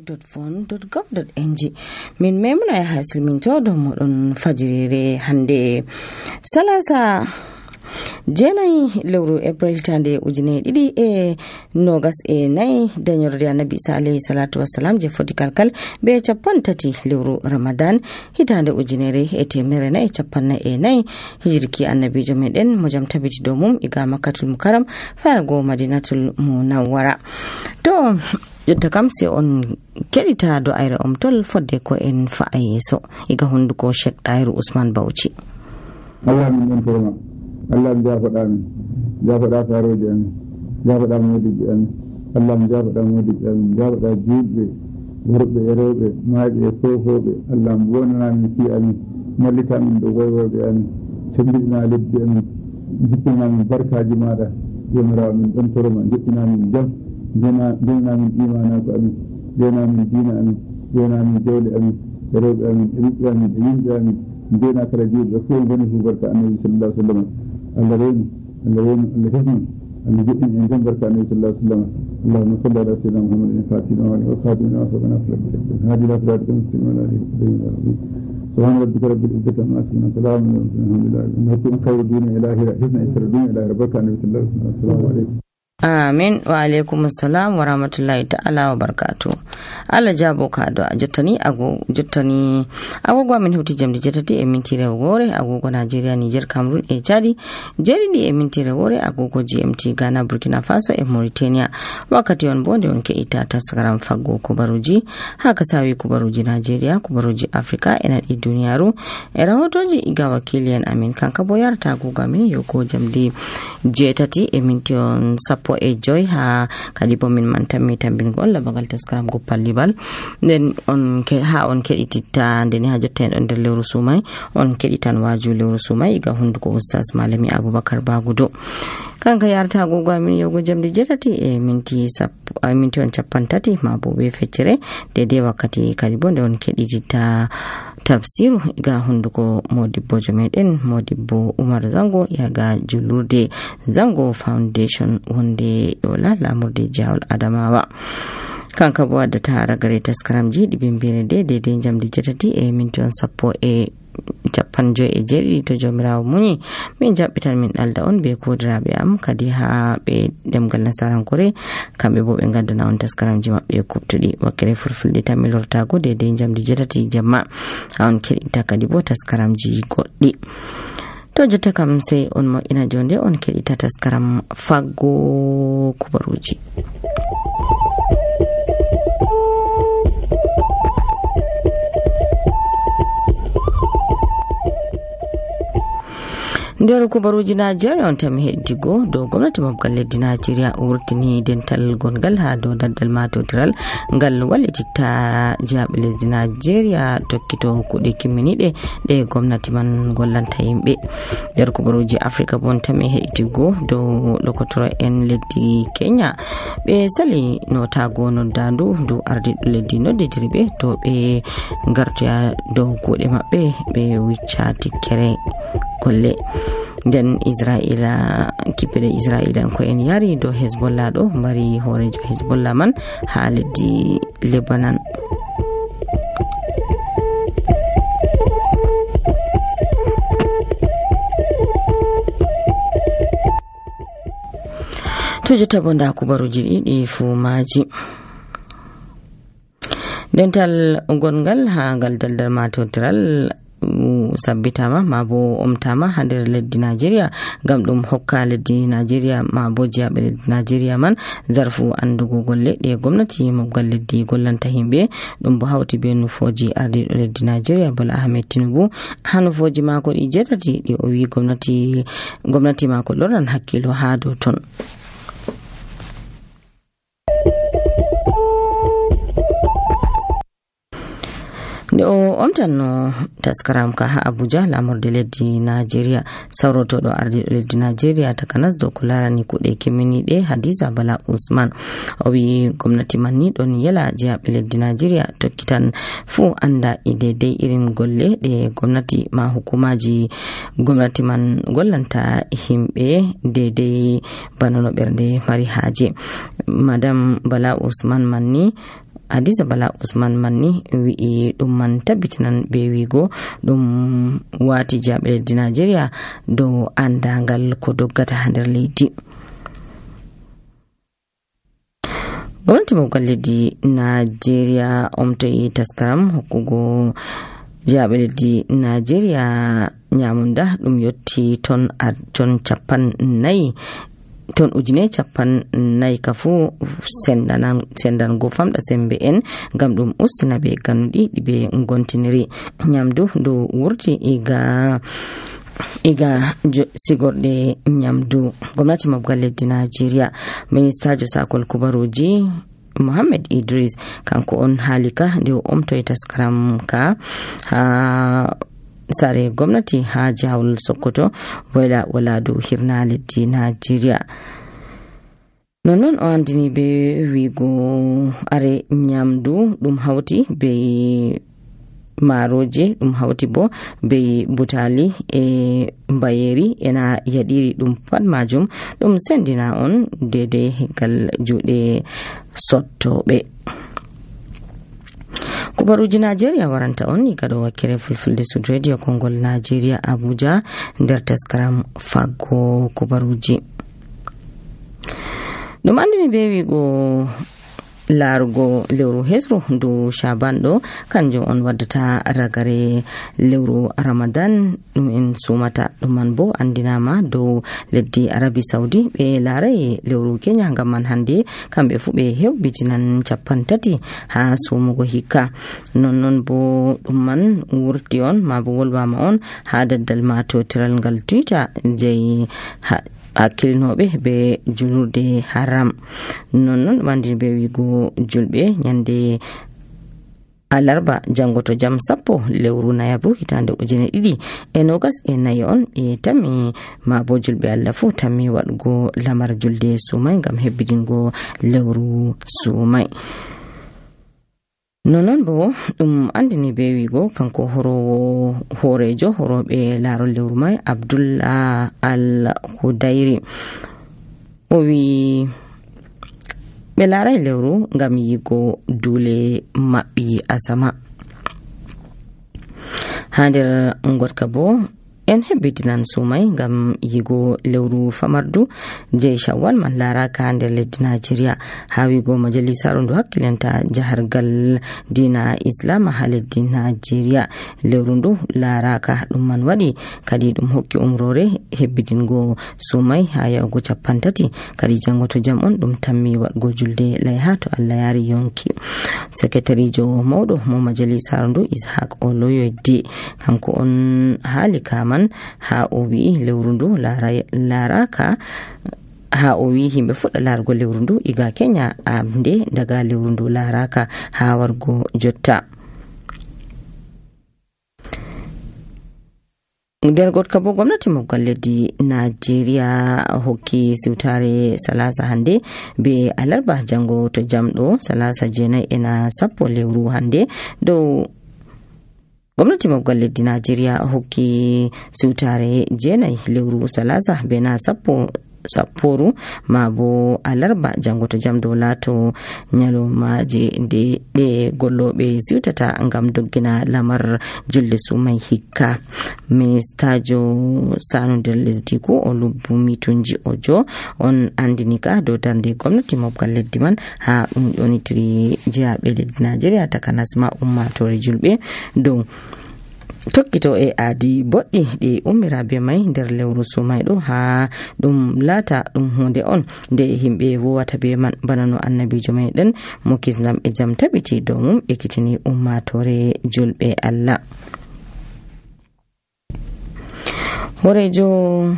www.fon.gov.ng min memuna ya hasilminto do modon fajirire hande salasa jenayi lewru April tande ujine didi nogas nayi dañorde annabi Isa alayhi salatu wassalam je foti kalkal be cappan tati lewru Ramadan hitande ujinere temere nayi cappan nayi hijirki annabijo meden mo jam tabiti do mum iga Makkatul Mukarram fa go Madinatul Munawwara to yotta kam se on kedita do ayre omtol fodde ko en fa'ayeso iga hunduko Sheikh Dairu Usman Bauchi. Allah min torma Allah jafaɗa min jafaɗa saroji amin jafaɗa modiji amin Allah jafaɗa modiji amin jafaɗa juɓɓe worɓe e rewɓe maaɓe e fofoɓe Allah wonana min fi amin mallita min ɗo woywoɓe amin sembina leddi amin jippina min barkaji maɗa jomirawo min ɗon torma joƴƴina min jam jena min imanako amin jena min dina amin jena min jawle amin e rewɓe amin e ɓiɓɓe amin e yimɓe amin jena kala juɓɓe fof goni fu barka annabi sallallahu alaihi wasallam Allah reni Allah hesni Allah joɗɗin en jam barka annabi sallallahu alaihi wasallam Allahumma salli ala sayyidina Muhammadin al-fatih wa khatim wa sabana sallallahu hadi la salatika muslim wa alihi wa sahbihi subhana rabbika rabbil izzati amma yasifun salamun ala al-mursalin alhamdulillahi khairu dini ilahi hizna isra dini ilahi barka annabi sallallahu alaihi wasallam assalamu alaikum. Amin wa alaikum assalam wa rahmatullahi ta'ala wa barakatuh. Allah jabo ka do jottani agogo min hewti jamdi jetati e minti rewore agogo Nigeria Niger Cameroon e Chadi jeridi e minti rewore agogo GMT Ghana Burkina Faso e Mauritania wakati on bonde on ke ita tasgaram faggo kubaruji haka sawi kubaruji Nigeria kubaruji Africa ena di duniyaru e rahotoji iga wakilian amin kanka boyarta agogo min yoko jamdi jetati e minti on po e joy ha kadi bo min man tammi tambingol la bagal taskaram go pallibal den on ke ha on kedititta den ha jotten on der lewru sumay on keditan waju lewru sumay ga hunduko ustaz malami Abubakar Bagudo kanka yarta gogo min yogo jamdi jetati e minti on cappantati ma bo be feccere dede wakkati kadi bo on kedititta tafsiru ga hunduko modibbo jomeden modibbo Umar Zango yaga julurde Zango Foundation wonde yola lamurde jawol Adamawa kanka bo wadda ta ragare taskaramji dibimbire de jamdi jetati e minti on sappo e cappanjo e jeɗiɗi to jomirawo muñi min jabbitan min dalda on be kodiraɓe am kadi ha be demgal nasarankore kamɓe bo ɓe gaddana on taskaramji mabɓe kubtuɗi wakkere fulfulde tan mi lortago de jamdi jetati jamma ha on keɗitta kadi bo taskaramji goɗɗi to jotta kam sey on moƴƴina jonde on keɗita taskaram faggo kubaruji. nder kubaruji Nigeria on tam heddigo do gwamnati mabgal leddi Nigeria wurtini dental gongal ha do daddal matotiral ngal wallititta jaabe leddi Nigeria tokkito kude kimminide de gwamnati man gollanta yimbe. nder kubaruji Africa bon tam heddigo do lokotoro en leddi Kenya be sali notago noddandu do ardido leddi nodditiribe to be gartoya do kude mabbe be wicca tikkere kolle den Israila kipede Israila ko en yari do Hezbollah do mari horejo Hezbollah man ha leddi Lebanon. to jota bonda kubaruji ɗiɗi fu maji dental gongal ha gal daldal matotiral sabbitama ma bo omtama ha nder leddi Nigeria gam dum hokka leddi Nigeria ma bo jiabe leddi Nigeria man zarfu andugo golle de gwamnati mabgal leddi gollanta himbe dum bo hawti be nufoji ardido leddi Nigeria Bola Ahmed Tinubu ha nufoji mako di jetati di o wi gwamnati mako lornan hakkilo ha do ton. o omtanno taskaram ka ha Abuja lamorde leddi Nigeria sawrotodo ardi leddi Nigeria takanas do ko larani kude kimminide Hadiza Bala Usman o wi gwamnati man ni don yela jaabe leddi Nigeria tokkitan fu anda idede irin golle de gwamnati ma hukumaji gwamnati man gollanta himbe dede banono bernde mari haje. Madam Bala Usman manni Hadiza Bala Usman manni wi'i ɗum man tabbitinan be wigo ɗum wati jaɓe leddi Najeriya dow andangal ko doggata ha nder leydi. Gwamnati mawgal leddi Najeriya omtoyi taskaram hokkugo jaɓe leddi Najeriya nyamunda ɗum yotti ton 50 kafu sendango famɗa sembe en ngam ɗum ustina be ganuɗi ɓe gontiniri nyamdu dow wurti iga sigorde nyamdu. Gwamnati mawgal leddi Najeriya ministajo sakol kubaruji Muhammad Idris kanko on halika nde omtoy taskaram ka ha sare gwamnati ha jawol Sokoto wala dow hirna leddi Najeriya. Non o andini be wigo are nyamdu ɗum hauti be maroje ɗum hauti bo be butali e mbayeri ena yadiri ɗum pat majum ɗum sendina on dede gal juɗe sottoɓe. Kubaruji Najeriya waranta on igado wakere fulfulde Sud Radio Kongol Najeriya Abuja nder taskaram faggo kubaruji. Ɗum andini be wigo larugo lewru hesru do Shaban ɗo kanjum on waddata ragare lewru Ramadan ɗum en sumata. ɗum man bo andinama dow leddi Arabi Saudi ɓe larai lewru Kenya ngam man hande kamɓe fu ɓe hewbitinan 30 ha sumugo hikka. Non bo ɗum man wurti on ma bo wolwama on ha daddal matotiral ngal Twitter jeyi hakkilinoɓe be julurde haram. Non wandi be wigo julɓe nyande alarba jango to jam 10 lewru Nayabru hitande 2024 on e tammi ma bo julɓe Allah fu tammi waɗgo lamar julde sumai ngam hebbidingo lewru sumai. Non bo ɗum andini be wigo kanko horejo horoɓe larol lewru mai Abdullah Al-Hudairi o wi ɓe larai lewru ngam yigo dule maɓɓi asama. Ha nder ngotka bo en hebbitinan sumai ngam yigo lewru famardu je Shawwal man laraka nder leddi Najeriya ha wigo majalisaru ndu hakkilanta jahargal dina Islam ha leddi Najeriya. Lewru ndu laraka ɗum man waɗi kadi ɗum hokki umrore hebbidingo sumai ha yahugo 30 kadi jango to jam on ɗum tammi waɗgo julde layha to Allah yari yonki. Sekretarijo mawɗo mo majalisaru ndu Ishaq Oloyede kanko on halika man ha o wi lewru ndu laraka ha o wi himɓe fuɗɗa larugo lewru ndu iga Kenya amde daga lewru ndu laraka ha wargo jotta. nder gotka bo gwamnati mawgal leddi Najeriya hokki siwtare salasa hande be alarba jango to jamɗo salasa 9 lewru hande dow gwamnati mawgal leddi Najeriya hokki siwtare 9 lewru salasa be na sapporu ma bo alarba jango to jam dow lato nyalomaje de golloɓe siwtata ngam doggina lamar julde sumai hikka. Ministajo sanu nder lesdi ko Olubunmi Tunji Ojo on andini ka dow darnde gwamnati mawgal leddi man ha ɗum yonitiri jihaɓe leddi Najeriya takanas ma ummatore julɓe dow tokkito e aadi boɗɗi ɗi ummira be mai nder lewru sumai ɗo ha ɗum laata ɗum hunde on nde himɓe wowata be man bana no annabijo meɗen mo kisnam e jam tabiti dow mum ekkitini ummatore julɓe Allah. Horejo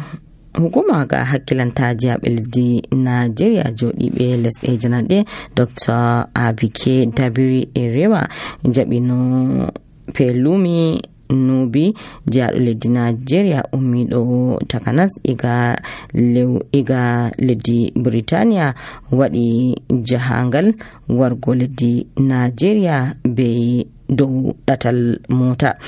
hukuma ga hakkilanta jihaɓe leddi Najeriya joɗiɓe lesɗe jananɗe Dr. Abike Dabiri Erewa jaɓino Pelumi Nubi jaɗo leddi Najeriya ummiɗo takanas iga leddi Britania waɗi jahangal wargo leddi Najeriya be dow ɗatal mota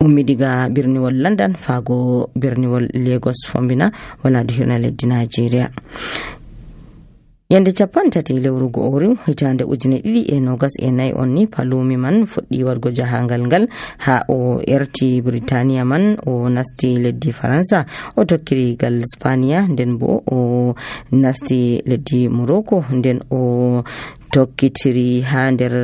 ummi diga birniwol London fago birniwol Lagos fombina wala do hirna leddi Najeriya. yande 30 lewru go'oru hitande 2024 on ni palumi man fuɗɗi wargo jahangal ngal ha o erti Britania man o nasti leddi Faransa o tokkiri gal Spania nden bo o nasti leddi Morocco nden o tokkitiri ha nder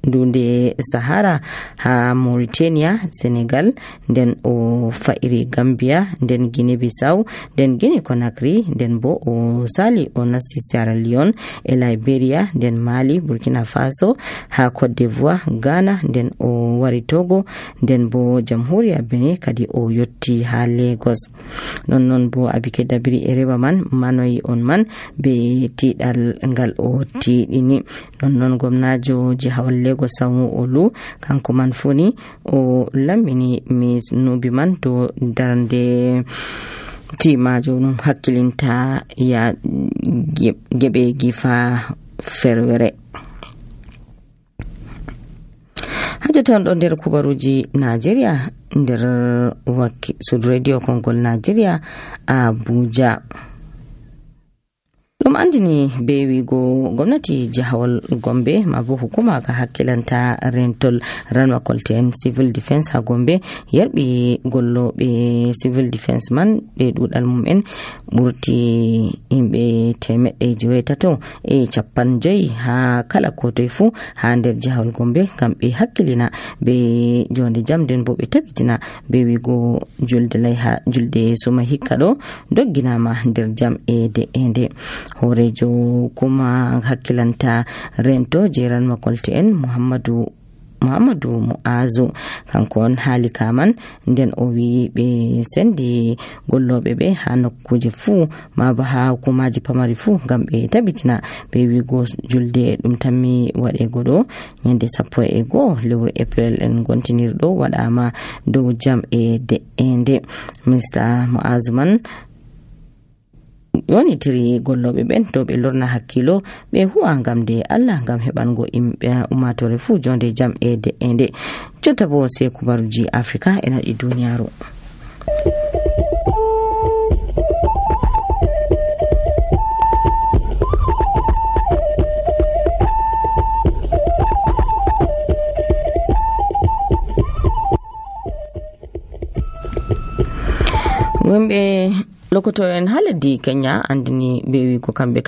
dunde Sahara ha Mauritania, Senegal, nden o fa'iri Gambia, nden Guinea Bissau, nden Guinea Conakry, nden bo o sali o nasti Sierra Leone e Liberia, nden Mali, Burkina Faso, ha Cote d'Ivoire, Ghana, nden o wari Togo, nden bo Jamhuriya Benin kadi o yotti ha Lagos. Non bo Abike Dabiri e reba man manoyi on man be tidal ngal o tidini. Non gomnajo jihawal Lagos Sanwo Olu kanko man funi o lammini Miss Nubi man do darande timajo num hakkilinta ya gebe gifa ferwere. Hajjaton ɗo nder kubaruji Najeriya nder Sud Radio Kongol Najeriya Abuja. Ɗum andini be wigo gwamnati jihawal Gombe mabo hukuma ga hakkilanta rentol ranwa kolten civil defense ha Gombe yarbi gollobe civil defense man be dudal mum en burti himbe temedde jewetato e cappan joyi ha kala kotoy fu ha nder jihawal Gombe kambe hakkilina be jonde jamden bo be tabitina be wigo julde layha julde suma hikka do dogginama nder jam e de ende. Horejo kuma hakkilanta rento jeran makolte en Muhammadu Mu'azu kanko on haali kaman nden o wi be sendi gollobe be ha nokkuje fu ma ba ha hukumaji pamari fu ngam be tabitina be wigo julde dum tammi wade godo nyande 11 lewru April en gontinirdo wadama dow jam e de ende. Mr. Mu'azu man woni tiri gollobe ben to be lorna hakkilo be huwa ngam de Allah ngam hebango ummatore fu jonde jam e de ende. Jotta bo se kubaruji Afrika ena di duniyaro. Wembe lokoto en haladi Kenya andini be wi ko kambe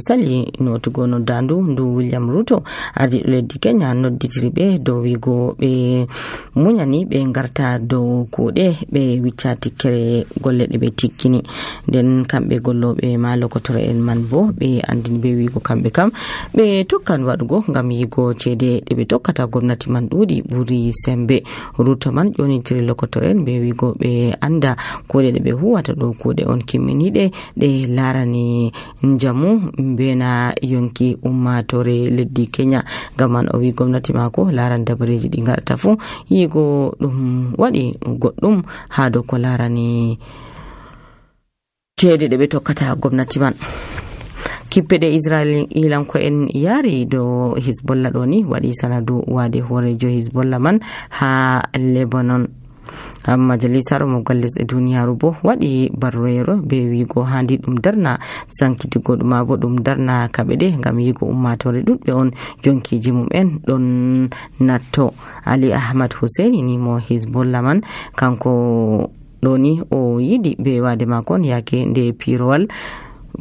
sali notugo no dandu ndu William Ruto ardi leddi Kenya nodditiri be do wigo be munyani be ngarta do kude be wicca tikkere golle de be tikkini den kambe gollobe ma lokoto en man bo be andini be wigo kambe be tokkan wadugo ngam yigo cede de be tokkata gwamnati man dudi buri sembe. Ruto man joni tiri lokoto en be wigo be anda kude de be huwata do kude on kimminide de larani njamu bena yonki ummatore leddi Kenya gaman o wi gwamnati mako laran dabareji di ngarta fu yigo dum wadi goddum ha do ko larani cede de be tokkata gwamnati man. Kippede Israel ilan ko en yari do Hezbollah do ni wadi sanadu wade horejo Hezbollah man ha Lebanon. Majalisar Mogalles e duniyaru bo wadi barroero be wigo handi dum darna sankitigo dum abo dum darna kabede ngam yigo ummatore dudbe on jonkiji mum en don natto. Ali Ahmad Hussein ni mo Hezbollah man kanko doni o yidi be wade makon yake nde pirowal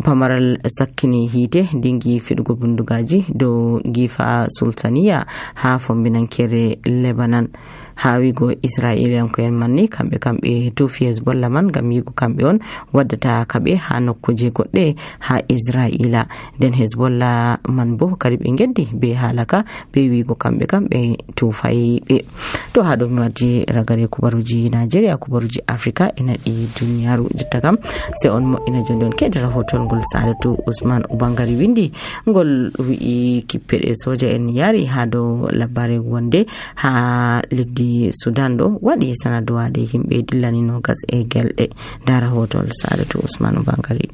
pamaral sakkini hite dingi fidugo bundugaji do gifa sultaniya ha fombinankere Lebanon. Ha wigo Israelian ko en manni kambe tufi Hezbollah man gam yigo kambe on waddata kabe ha nokkuje godde ha Israila den Hezbollah man bo kadi be geddi be halaka be wigo kambe tufai be to ha do mi ragare kubaruji Nigeria kubaruji Afrika ina di dunyaru jotta se on mo ina jondon kedara hotol gol Sadatu Usman Ubangari windi gol wi kippede soja en yari ha do labare wonde ha leddi Sudan do wadi sanadu wade himbe dillani no gas e gelde dara hotol Sadatu Usman Ubangari.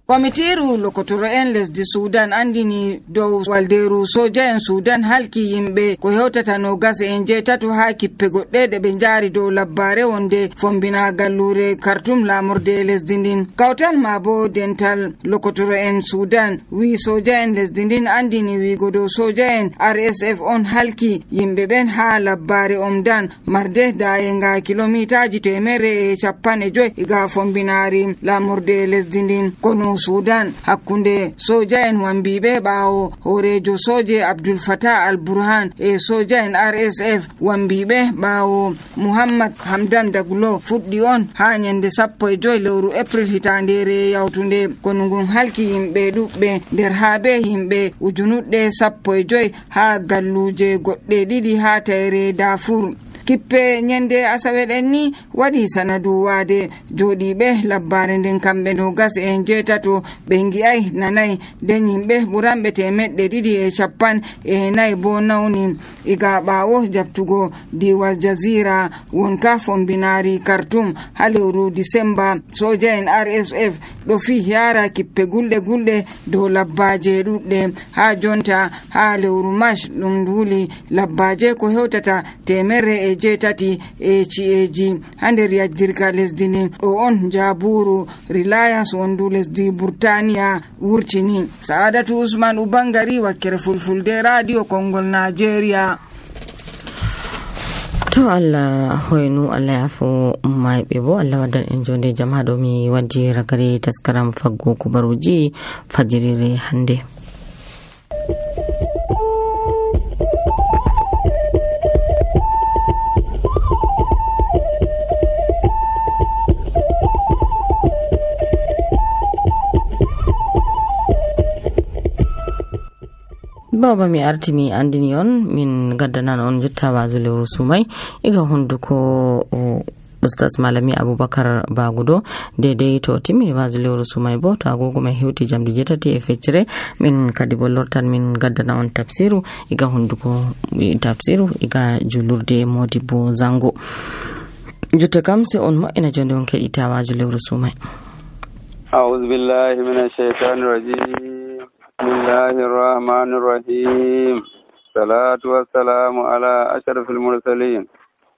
komitiru lokotoro en lesdi sudan andini dow walderu soja en sudan halki yimɓe ko hewtata no gasa en jeetato ha kippe goɗɗe ɗe ɓe jaari dow labbare wonde fombina gallure kartum lamorde lesdi ndin. Kawtal ma bo dental lokotoro en sudan wi soja en lesdi ndin andini wigo dow soja en RSF on halki yimɓe ɓen ha labbare omdan marde dayenga kilomitaji 150 ga fombinari lamorde lesdi ndin. Kono sudan hakkunde soja en wambiɓe ɓawo horejo soje Abdul Fattah al-Burhan e soja en RSF wambiɓe ɓawo Muhammad Hamdan Daglo fuɗɗi on ha nyande 15 lewru April hitandere yawtunde. Kono ngun halki yimɓe ɗuɓɓe nder habe himɓe ujunuɗɗe 15 ha galluje goɗɗe ɗiɗi ha tayre Darfur. Kippe nyande asawe ɗen ni waɗi sanadu wade joɗiɓe labbare nden kamɓe no gas en jeetato ɓe ngi'ay nanay nden yimɓe ɓuranɓe 250 bo nawni iga ɓawo jabtugo diwal jazira wonka fombinari Khartoum ha lewru Disemba. soja en RSF ɗo fi yara kippe gulɗe dow labbaje ɗuɗɗe ha jonta ha lewru March ɗum wuli labbaje ko hewtata 170 e ci'eji ha nder yajjirga lesdi ndin. ɗo on jaburu Reliance wondu lesdi Burtaniya wurtini. Saadatu Usman Ubangari, wakkere Fulfulde, Radio Kongol, Nigeria. To Allah hoynu Allah yafo mayɓe bo Allah waddan en jonde jam ha ɗo mi waddi ragare taskaram faggo kubaruji fajirire hande. Baba mi arti mi andini on min gaddanan on jotta wazu lewru sumai iga hunduko Ustaz Malami Abubakar Bagudo daidai to timmi wazu lewru sumai bo to agogo mai hewti jamdi 7 min kadi bo lortan min gaddana on tafsiru iga hunduko tafsiru iga julurde Modibo Zango jotta kam se on mo ina jonde on kedita wazu lewru sumai. A'udhu billahi minash shaitanir rajim. بسم الله الرحمن الرحيم. الصلاة والسلام على أشرف المرسلين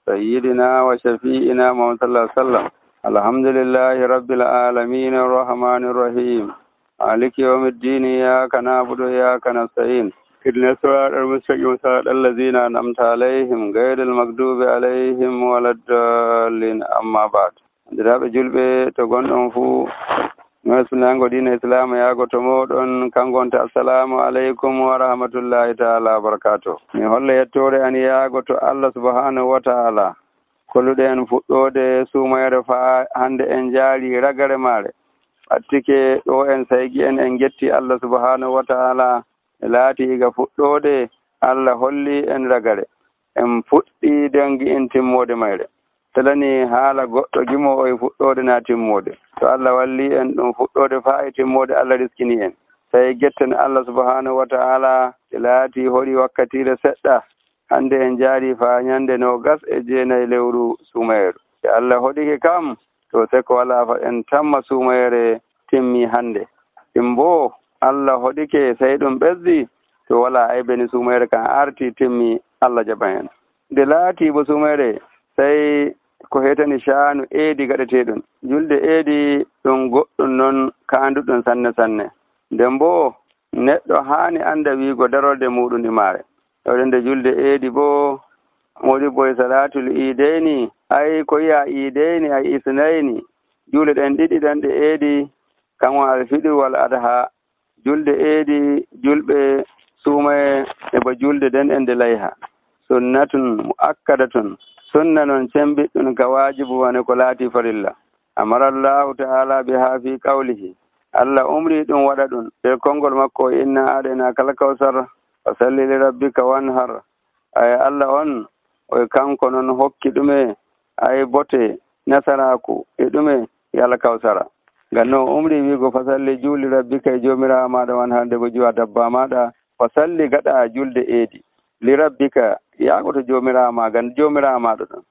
سيدنا وشفيئنا محمد صلى الله عليه وسلم. الحمد لله رب العالمين الرحمن الرحيم مالك يوم الدين إياك نعبد وإياك نستعين اهدنا الصراط المستقيم صراط الذين أنعمت عليهم غير المغضوب عليهم ولا الضالين. أما بعد دراب جلبه تغون فو Bismillah dina Islam yago to moɗon kangonta assalamu alaikum wa rahmatullahi ta'ala wa barakatuh. Mi holla yettore an yago to Allah subhanahu wa ta'ala kolluɗe en fuɗɗode sumayre fa hande en jaari ragare mare attike ɗo en saygi en getti Allah subhanahu wa ta'ala laati iga fuɗɗode Allah holli en ragare en fuɗɗi dangi en timmode mayre talani haala goɗɗo gimo e fuɗɗode na timmode to Allah walli en ɗum fuɗɗode fa e timmode Allah riskini en tawi getten Allah subhanahu wa ta'ala laati hoɗi wakkatire seɗɗa hande en jaari fa ñande 29 lewru sumayru Allah hoɗike kam to seko wala fa en tamma sumayre timmi hande timbo Allah hoɗike sey ɗum ɓesdi to wala aybeni sumayre kan arti timmi Allah jaɓan en nde laati bo sumayre sey ko hetani shaanu eedi gaɗeteɗum julde eedi ɗum goɗɗum noon kaanduɗum sanne nden bo neɗɗo haani anda wiigo darorde muɗum e maare nde julde eedi bo modi boye salatul ideyni ay ko yiya ideyni ay isnayni julde ɗen ɗiɗi ɗan ɗe eedi kanko alfiɗir wal adha julde eedi julɓe suumaye e bo julde den e nde layha sunnatun muakkadatun sunna noon cembiɗɗum ka wajibu wane ko laati farilla amarallahu ta'ala biha fi qawlihi Allah umri ɗum waɗa ɗum ɓe konngol makko inna aɗena kala kawsar fa salli li rabbika wanhar ay Allah on o kanko noon hokki ɗume ay bote nasaraku e ɗume yala kawsara ngam noon umri wiigo fa salli juuli rabbika e jomirawo maɗa wanhar nde bo juwa dabba maɗa fa salli gaɗa julde eedi li rabbika yaago to jomirawo ma gan jomirawo maɗa ɗon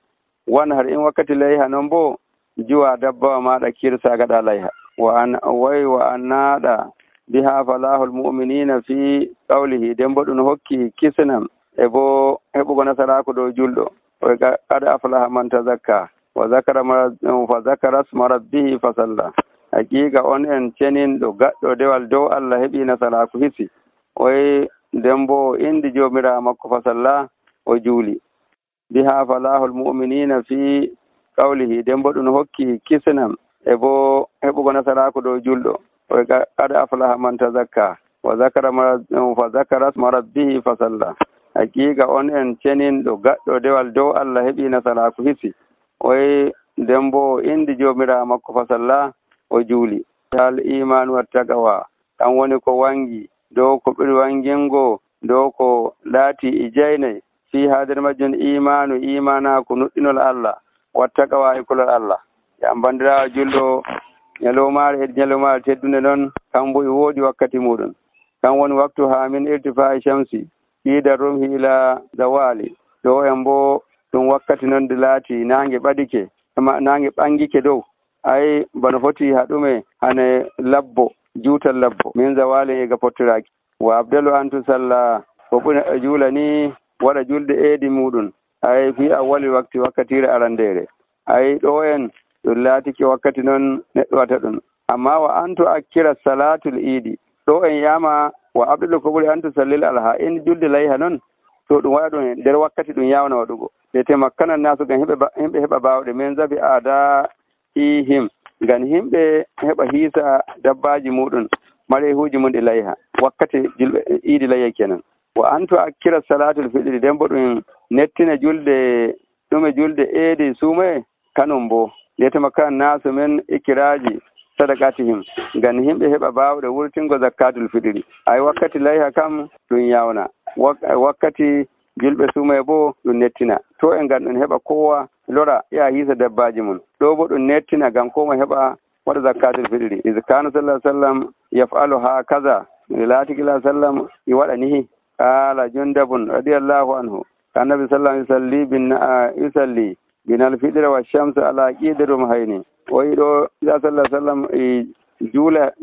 wanhar in wakkati layha noon bo juwa dabbawa maɗa kirsa gaɗa layha wa annada biha falahul mu'minina fi qawlihi dembo ɗum hokki kisnam e bo heɓugo nasaraku dow julɗo qad aflaha man tazakka wa zakara isma rabbihi fasalla. Haqiqa on en ceninɗo gaɗɗo dewal dow Allah heɓi nasaraku hisi dembo indi jomirawo makko fasalla o juuli. biha falahul mu'minina fi qawlihi dembo ɗum hokki kisnam e bo heɓugo nasaraku dow julɗo qad aflaha man tazakka wa zakara isma rabbihi fasalla. Haqiqa on en ceninɗo gaɗɗo dewal dow Allah heɓi nasaraku hisi dembo indi jomirawo makko fasalla o juuli. Al iman wa taqwa kan woni ko wangi dow ko ɓuri wangingo dow ko laati e jeynayi fi hader majjum imanaku nuɗɗinol Allah wa taqwa e kulol Allah. Yam bandirawo julɗo ñalowmaare e ñalowmaare teddunde noon kambo e woodi wakkati muɗum kan woni waktu ha min irtifa'i shamsi ida rumhi ila zawali ɗo en bo ɗum wakkati noon de laati nange ɓadike nange ɓangike dow ay bano foti haɗume hane labbo juutal labbo min zawali ega pottiraki wa abdalu antu salla ko ɓuri juula ni waɗa julde eedi muɗum ay fi awwali wakkatire arandere ay ɗo en ɗum laatiki wakkati noon neɗɗo wata ɗum amma wa antu akkira salatul idi ɗo en yama wa abdalu ko ɓuri antu sallil alha en julde layha noon to ɗum waɗa ɗum nder wakkati ɗum yawna waɗugo te temakkanan nasu gam himɓe heɓa bawɗe min zabi ada ihim ngam himɓe heɓa hiisa dabbaji muɗum marehuji mum ɗi layha wakkati julɓe idi layha kenan wa antu akkira salatul fiɗiri dembo ɗum nettina julde ɗume julde eedi suumaye kanum bo yetema nasu men ikiraji sadaqatihim ngam himɓe heɓa bawɗe wurtingo zakatul fiɗiri ay wakkati layha kam ɗum yawna wakkati julɓe suumaye bo ɗum nettina to e ngam ɗum heɓa kowa lora ya hiisa dabbaji mum ɗo bo ɗum nettina ngam koma heɓa waɗa zakatul fiɗiri izkanu sallallahu alaihi wasallam yaf'alu ha kaza latikila sallam i waɗa nihi qala jundabun radiyallahu anhu annabi sallallahu alaihi wasallam yusalli binal fidra wa shamsu ala qidirum hayni o yiɗo sallallahu alaihi wasallam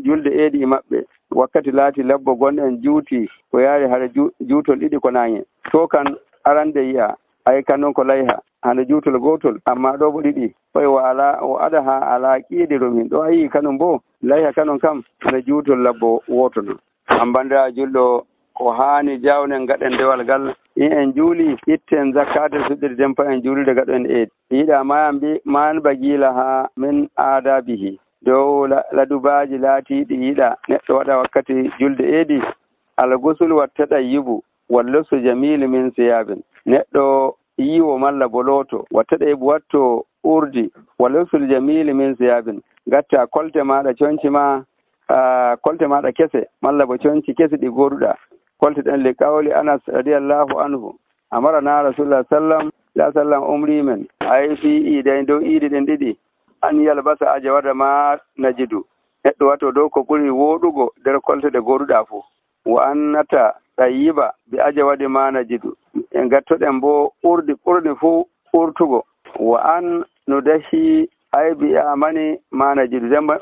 julde eedi e maɓɓe wakkati laati labbo gonɗen juuti ko yaari hara juutol ɗiɗi ko naŋe to kan arande yi'a ay kanon ko layha hande juutol gotol amma ɗo bo ɗiɗi oy o ada ha ala qidirum hin ɗo ayi kanon bo layha kanon kam hande juutol labbo woto non ambandira julɗo ko haani jawnen gaɗen dewal ngal en juuli itten zakatul fiɗiri den fa en juulide gaɗen eedi yiɗa man bagila ha min adabihi dow ladubaji laatiɗi yiɗa neɗɗo waɗa wakkati julde eedi algusul wattaɗayyibu wallusu jamilu min siyabin neɗɗo yiwo malla boloto wattaɗayyibu watto urdi wallusul jamilu min siyabin gatta kolte maɗa conci ma kolte maɗa kese malla bo conci kese ɗi goduɗa kolte ɗen li qawli anas radiyallahu anhu amarana rasulullah sallam umri men ay fi iidayn dow iidi ɗen ɗiɗi an yalbasa ajawada ma najidu neɗɗo wato dow ko ɓuri woɗugo nder kolte ɗe goduɗa fo wa annata ɗayyiba bi ajawadi ma najidu en gattoɗen bo ɓurni fuu ɓurtugo wa an nudahi ay bi amani ma najidu demba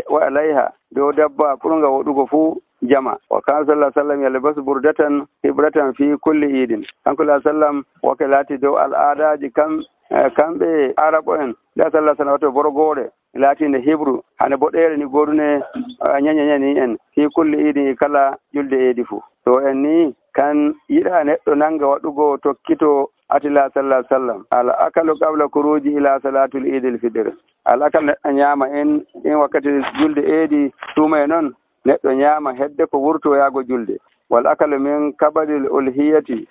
wa alayha dow dabba ɓurga woɗugo fuu jama wa kana sallallahu alaihi wasallam yalbasu burdatan hibratan fi kulli idin kanko sallam wake laati dow al'adaji kamɓe arabo en da sallallahu alaihi wasallam borgore laatinde hibru hane boɗere ni godune ñañañani en fi kulli idin kala julde eedi fuu to en ni kan yiɗa neɗɗo nanga waɗugo tokkito atila sallallahu alaihi wasallam al akalu qabla kuruji ila salatul idil fitr al akal neɗɗo ñaama en wakkati julde eedi tuma e noon neɗɗo ñaama hedde ko wurto yaago julde wal akalu min kabadil ulhiyati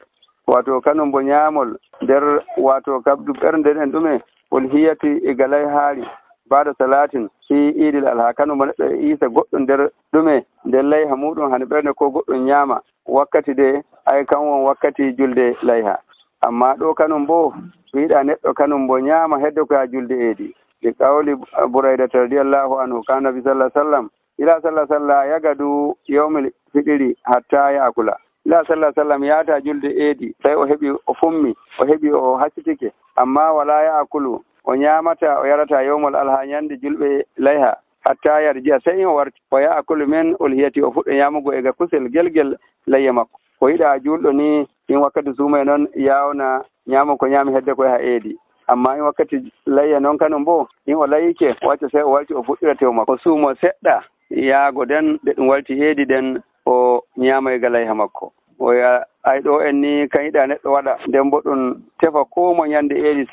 wato kanum bo ñaamol nder wato kabdu ɓernde en ɗume ulhiyati e galay haari baada salatin fi idil alha kanum bo neɗɗo isa goɗɗo nder ɗume nder layha muɗum hane ɓernde ko goɗɗum ñaama wakkati de ay kan won wakkati julde layha amma ɗo kanum bo wiiɗa neɗɗo kanum bo ñaama hedde ko ha julde eedi li qawli buraydata radiyallahu anhu kana nabi sallallahu alaihi wasallam ila sallallahu alaihi wasallam yagadu yawmil fitri hatta yaakula ila sallallahu alaihi wasallam yaata julde eedi tawi o heɓi o fummi o heɓi o haccitike amma wala yaakulu o ñaamata o yarata yawmol alha ñande julɓe layha hatta yarji'a sai o warti wa ya'kulu min ulhiyati o fuɗɗo nyamugo ega kusel gelgel layya makko ko yiɗa julɗo ni in wakkati suumay noon yawna nyama ko nyami hedde koye ha eedi amma in wakkati layya noon kanum bo in o layike wacca sai o walti o fuɗɗira tew makko o suumo seɗɗa yaago den ɗe ɗum walti eedi den o nyama ega layha makko oya ay ɗo en ni kan yiɗa neɗɗo waɗa nden bo ɗum tefa ko mo nyande eedi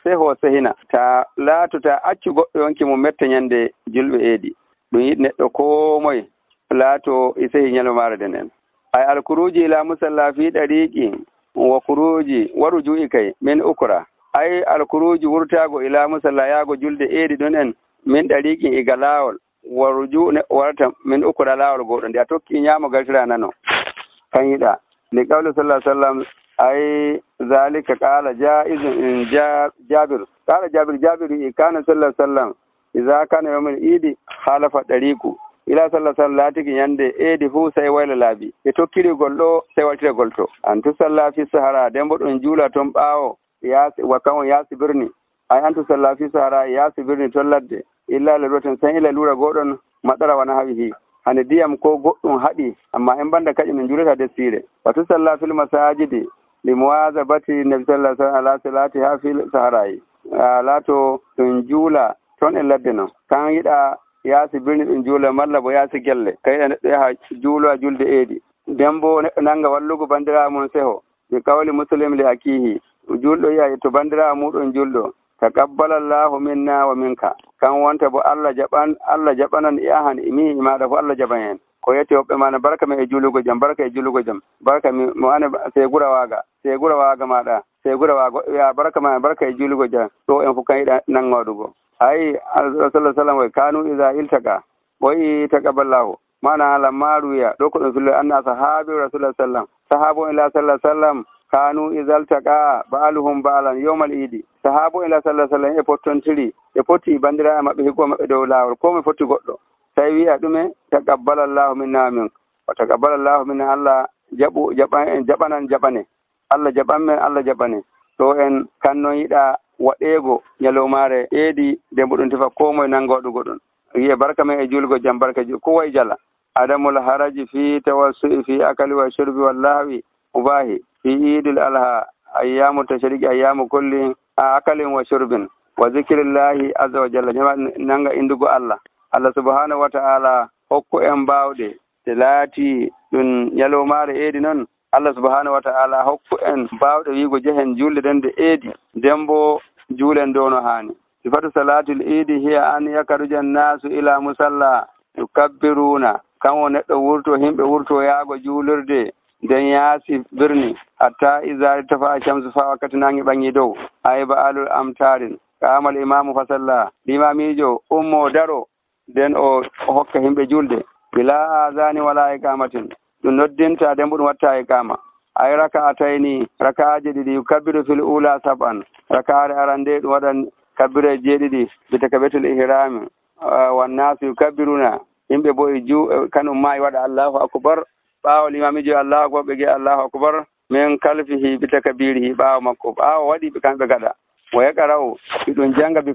seho sehina ta laato ta accu goɗɗo yonki mo metta nyande julɓe eedi ɗum yiɗi neɗɗo ko moye laato e sehi ñalowmaare den en ay alkuruji ila musalla fi ɗariqi wa kuruji waru ju'i kay min ukra ay alkuruji wurtago ila musalla yaago julde eedi ɗon en min ɗariqi iga laawol waru ju warata min ukra laawol goɗɗo nde a tokki ñaamo galtira nano kan yiɗa li qawli sallallahu alaihi wasallam ay zalika qala jaizun in jabir qala jabir kana sallallahu alaihi wasallam idza kana yawmul idi khalafa dariqu ila sallallahu alaihi wasallam latiki nyande eedi fu sai wayla laabi e tokkiri golɗo sai waltira golto antu salla fi sahara dembo ɗon juula ton ɓaawo yaasi wakkan yaasi birni ay antu salla fi sahara yaasi birni ton ladde illa la roten sai ila lura goɗon maɗara wana hawihi hande diyam ko goɗɗum haɗi amma en banda kaƴi min julata dessire watu salla fil masajidi li muwazabati nabi sallallahu alaihi wasallam ala salati ha fil saharayi laato ɗum juula ton e ladde non kan yiɗa yaasi birni ɗum juula malla bo yaasi gelle kayiɗa neɗɗo yaha juuloa julde eedi nden bo neɗɗo nanga wallugo bandirawo mum seho ɓe kawli muslim li akihi julɗo yiya to bandirawo muɗum julɗo taqabbalallahu minna wa minka kan wonta bo Allah jaɓanan e ahan imi maɗa fo Allah jaɓan en ko yette hoɓɓe mana barka mi e julugo jam barka e julugo jam barka mi mo ane segura waaga maɗa segura waago ya barka ma barka e julugo jam ɗo en fof kan yiɗa nangoɗugo ay sallallahu sallam way kanu iza iltaka boyi taqabbalallahu mana lamma ruya ɗo ko ɗum fillo anna sahabi rasulullah sallam sahabo ila sallallahu sallam kanu iza iltaka ba'aluhum ba'alan yawmal idi sahabo ila sallallahu sallam e pottontiri e poti bandira maɓɓe higgo maɓɓe dow laawol ko mi fotti goɗɗo tawi wi'a ɗume taqabbalallahu minna min wa taqabbalallahu minna Allah jaɓanan jaɓane Allah jaɓan men Allah jaɓane to en kannon yiɗa waɗeego ñalowmaare eedi nde mboɗum tefa ko moye nanngoɗugo ɗum wiye barka men e julgo jam barka ko way jala adamul haraji fi tawassu'i fi akali wa shurbi wallahi ubahi fi idil alha ayyamu tashriqi ayyamu kulli akalin wa shurbin wa zikrillahi azza wa jalla nanga indugo Allah subhanahu wa ta'ala hokku en bawɗe te laati ɗum ñalowmaare eedi noon Allah subhanahu wa ta'ala hokku en bawɗe wiigo jehen julde den de eedi nden bo juulen dono haani sifatu salatul idi hiya an yakaruja nasu ila musalla yukabbiruna kanwo neɗɗo wurto himɓe wurto yaago juulirde nden yaasi birni hatta iza tafa shamsu fa wakkati nangi ɓangi dow ayba alul amtarin kamal imamu fasalla limamijo ummo daro nden o hokka himɓe julde bila azani wala iqamatin ɗum noddinta nden bo ɗum watta iqama ay raka'atayni raka'aji ɗiɗi yukabbiru fil ula sab'an raka'are arande ɗum waɗan kabbire jeeɗiɗi bi takbiratul ihrami wan nasu yukabbiruna yimɓe bo kanum ma waɗa Allahu akbar ɓaawo limamijo Allahu akbar ɓe ge Allahu akbar min kalfihi bi takbirihi ɓaawo makko ɓaawo waɗi ɓe kamɓe gaɗa wa yaqra'u ɗum janga bi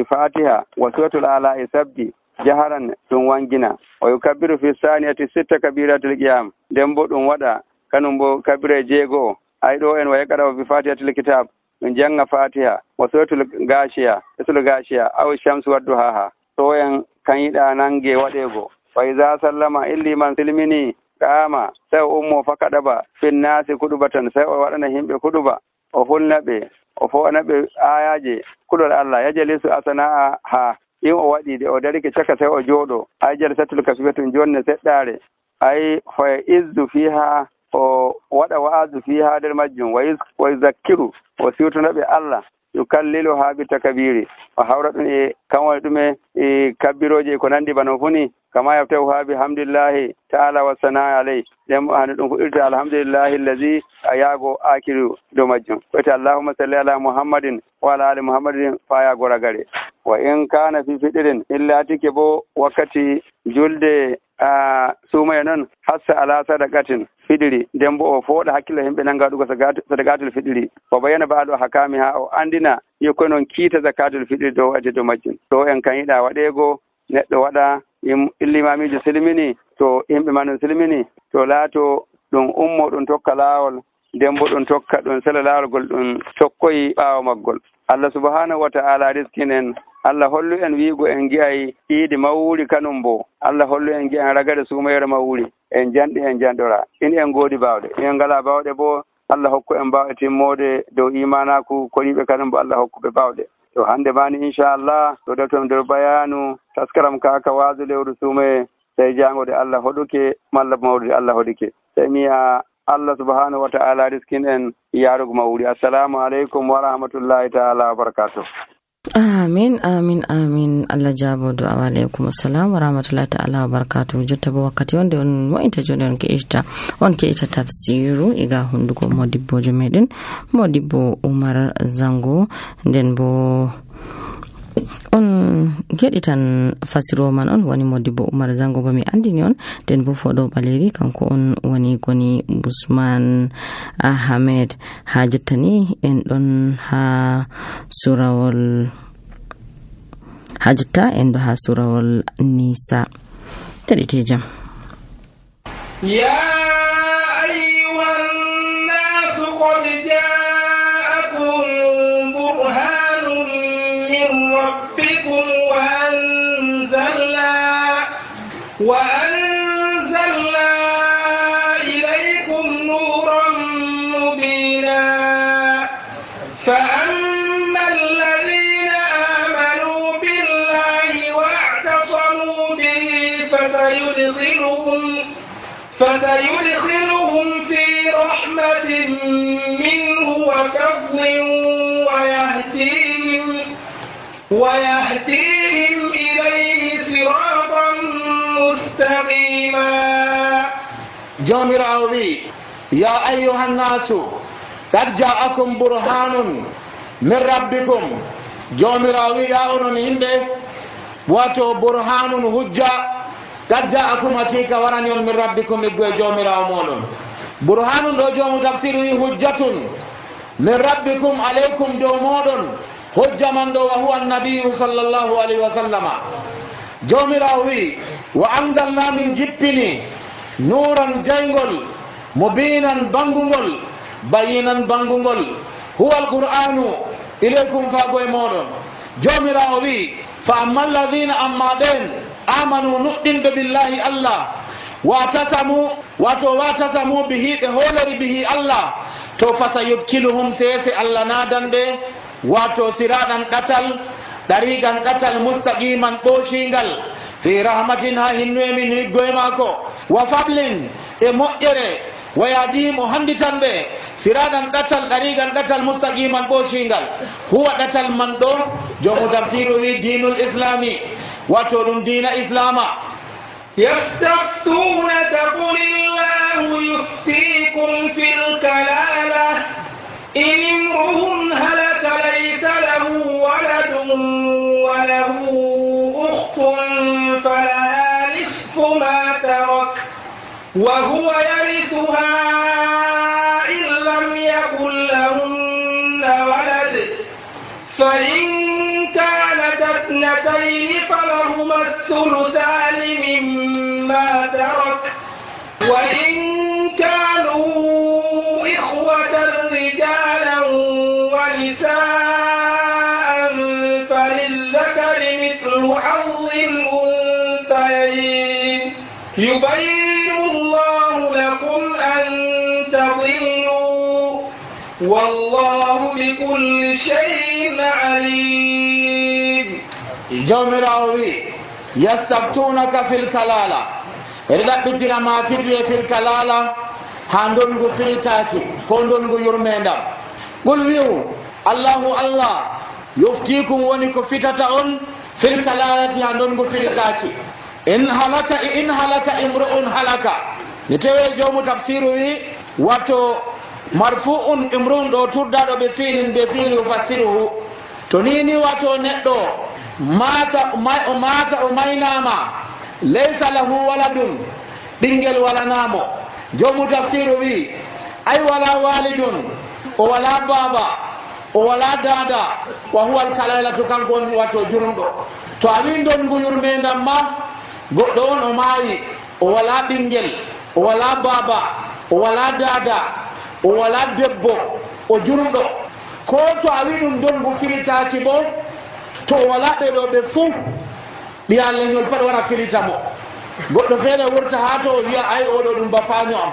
fatiha wa suratul ala e sabbi jaharan ɗum wangina o yukabbiru fi saniyati sitta kabiratul qiyam nden bo ɗum waɗa kanum bo kabire jeego ay ɗo en wa yaqra'u bi fatihatil kitab ɗum janga fatiha wa suratul gashiya aw shamsu wadduhaha to en kan yiɗa nange waɗego fa iza sallama illi man silmini qama sai ummo fakaɗaba fin nasi kuɗubatan sai o waɗana himɓe kuɗuba o hulnaɓe o fo'anaɓe ayaje kulol Allah yajalisu asana'a ha in o waɗi de o darike caka sai o jooɗo ay jalsatul kasbiyatum jonne seɗɗare ay fa izzu fiha o waɗa wa'azu fiha nder majjum wa yuzakkiru o siwtonaɓe Allah yukallilu ha bi takabiri o hawra ɗum e kanwone ɗume e kabbiroje ko nandi bano funi kama yaftahu ha bi hamdillahi ta'ala wa sanaa alay ɗen hande ɗum fuɗɗirta alhamdulillahi allazi a yaago akiru dow majjum wiyete allahumma salli ala muhammadin wa ala ali muhammadin fa yaago ragare wa in kana fi fiɗirin illatike bo wakkati julde sumaye noon hassa ala sadaqatin fiɗiri nden bo o fooɗa hakkille himɓe nanga waɗugo sadaqatul fiɗiri o bayana baaɗo hakami ha o andina yokkoy noon kiita zakatul fiɗiri dow waɗde dow majjum to en kan yiɗa waɗego neɗɗo waɗa illimamijo silmini to yimɓe man ɗum silmini to laato ɗum ummo ɗum tokka laawol nden bo ɗum tokka ɗum sela laawol gol ɗum tokkoyi ɓaawo maggol. Allah subhanahu wa ta'ala riskinen. Allah hollu en wiigo en gi'ay iidi mawwuri kanum bo Allah hollu en gi'an ragare sumayere mawwuri en janɗi en janɗora in en goodi baawɗe en ngala baawɗe bo Allah hokku en baawɗe timmode dow imanaku koriɓe kanum bo Allah hokkuɓe baawɗe. To hande mani inchallah to deftom nder bayanu taskaram kaka waasu lewru sumaye tawi jangode Allah hoɗuke malla mawdude Allah hoɗuke tawi miya Allah subhanahu wa ta'ala riskin en yarugo mawuri. Assalamu alaikum wa rahmatullahi ta'ala wa barakatuh. Amin amin amin. Allah jabo do wa alaikum assalam wa rahmatullahi ta'ala wa barakatuh. Jotta bo wakkati wonde on mo'inta jonde on ke ita tafsiru iga hunduko modibbo jomeden modibbo Umar Zango nden bo on geditan fasiro man on woni modibbo Umar Zango ba mi andini on den bo fodo baleri kanko on woni goni Usman Ahmed ha jottani en don ha surawol hajta en do ha surawol Nisa tadi tejam ya ayyuhan nas qad ja'akum burhanun min rabbikum wa anzalna ilaykum nuran mubina fa amma alladhina amanu billahi wa'tasamu bihi fasayudkhiluhum fi rahmatin minhu wa fadlin wa yahdihim ilayhi siratan mustaqima. Jomirawi ya ayyuhan nasu qad ja'akum burhanun min rabbikum. Jomirawi ya onon himɓe wato burhanun hujja qad ja'akum hakika warani on min rabbikum iggo jomirawo moɗon. Burhanun ɗo jomu tafsir wi hujjatun min rabbikum alaykum dow moɗon hujja man ɗo wa huwa annabiyu sallallahu alayhi wa sallama. Jomirawo wi wa anzalna min jippini nuran jaygol mubinan bangugol bayinan bangugol huwa alqur'anu ilaykum fago e moɗon. Jomirawo wi fa amma alladhina amma ɗen amanu nuɗɗinɓe billahi Allah watasamu bihi ɓe holori bihi Allah to fasayudkiluhum sese Allah nadanɓe wato siraɗan ɗatal ɗariƙan ɗatal mustaqiman ɓoshingal fi rahmatin ha hinnoe min higgoye maako wa fablin e moƴƴere wa yadihim o handitanɓe siraɗan ɗatal ɗariƙan ɗatal mustaqiman ɓoshingal huwa ɗatal man ɗo jomu tafsiru wi dinul islami wato ɗum dina islama. يستفتونك قل الله يفتيكم في الكلالة إن امرؤ هلك ليس له ولد وله أخت فلها نصف ما ترك وهو يرثها إن لم يكن لهن ولد فإن كانت اثنتين فلهما الثلثان مما ترك وإن كانوا إخوة رجالا ونساء فللذكر مثل حظ الأنثيين يبين الله لكم أن تضلوا والله بكل شيء عليم. جومراوي يستفتونك في الكلالة رلبتنا ما في الكلالة هاندونغو فيتاكي كوندونغو يرميندا قل ويو الله يفتيكم ونكو فتاون في الكلالة هاندونغو فيتاكي إن هلك امرؤ هلك نتوي جوم تفسيره واتو مرفوع امرؤ دو تردادو بفيل يفسره تنيني واتو ندو mata o maynama laysa lahu waladun ɓingel walanamo. jomu tafsiru wi ay wala walidun, o wala baba, o wala dada, wa huwa alkalailatu kanko on wato jurumɗo. to a wi ndongu yurmedam ma goɗɗo on o maayi, o wala ɓingel, o wala baba, o wala dada, o wala debbo, o jurumɗo. ko to a wi ɗum ndongu filitaki bo to o wala ɓeɗo ɓe fuu ɓiya leñol pat wara filita mo. goɗɗo feere wurta ha to o wiya ay oɗo ɗum bafaño am,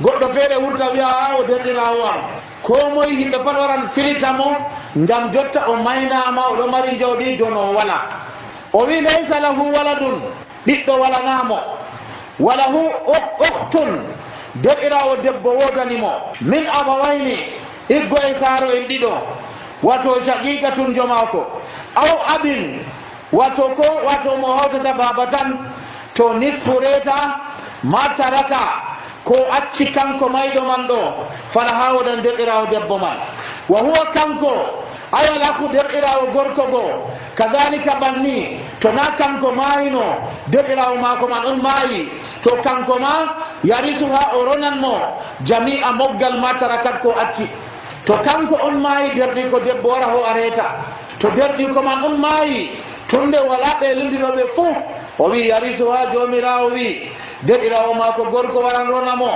goɗɗo feere wurta wiya a o derɗirawo am. ko moye yimɓe pat waran filita mo ngam jotta o maynama oɗo mari jawɗi jon o wala. o wi laysa lahu waladun ɓiɗɗo walanamo, walahu uktun derɗirawo debbo wodanimo, min abawayni iggo e saaro en ɗiɗo, wato shaqiqatun jomako, aw abin wato ko wato mo hawtata baba tan, to nisfu reta ma taraka ko acci kanko mayɗo man ɗo fala ha wodan derɗirawo debbo man. wa huwa kanko ayala ko derɗirawo gorko goo kadalika banni, to na kanko maayino derɗirawo maako man on maayi, to kanko ma yarisu ha o ronanmo jami'a moggal ma tarakat ko acci. to kanko on maayi derɗi ko debbo wara ho a reta, to derɗi ko man on maayi tunde wala ɓe lundinoɓe fuu, o wi yarisu ha jomirawo wi derɗirawo maako gorko waran ronamo,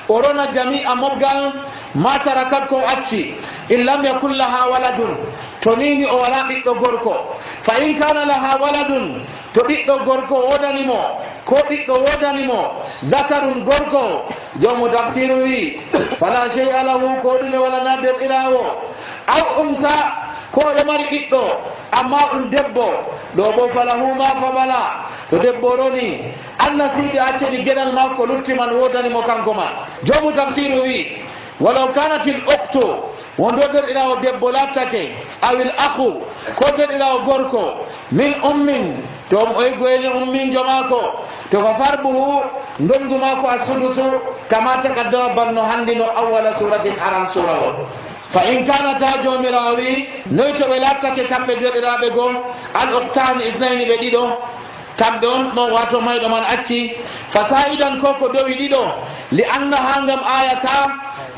o rona jami'a moggal ma tarakat ko acci. in lam yakun laha waladun, to nini o wala ɓiɗɗo gorko. fa in kana laha waladun, to ɓiɗɗo gorko wodanimo ko ɓiɗɗo wodanimo dakarun gorko, jomu tafsiru wi fala shay'a lahu, ko ɗume walana derɗirawo. aw umsa, ko ɗo mari ɓiɗɗo amma ɗum debbo, ɗo bo falahu ma fabala, to debbo roni anna siidi acceni geɗal makko lutti man wodanimo kanko man. jomu tafsiru wi walaw kanatil uktu, wondo derɗirawo debbo lattake, awil akhu, ko derɗirawo gorko, min ummin, to o goyni ummin jomako, to fa farbuhu ndongu mako a sudusu kama taqaddama banno handino awwala suratin aran sura o. fa in kanata jomirawo wi noy to ɓe lattake kamɓe derɗiraɓe goo al uktani isnayni ɓe ɗiɗo, kamɓe on ɗo wato mayɗo man acci. fa sa'idan ko ko dowi ɗiɗo li anna ha ngam aya ka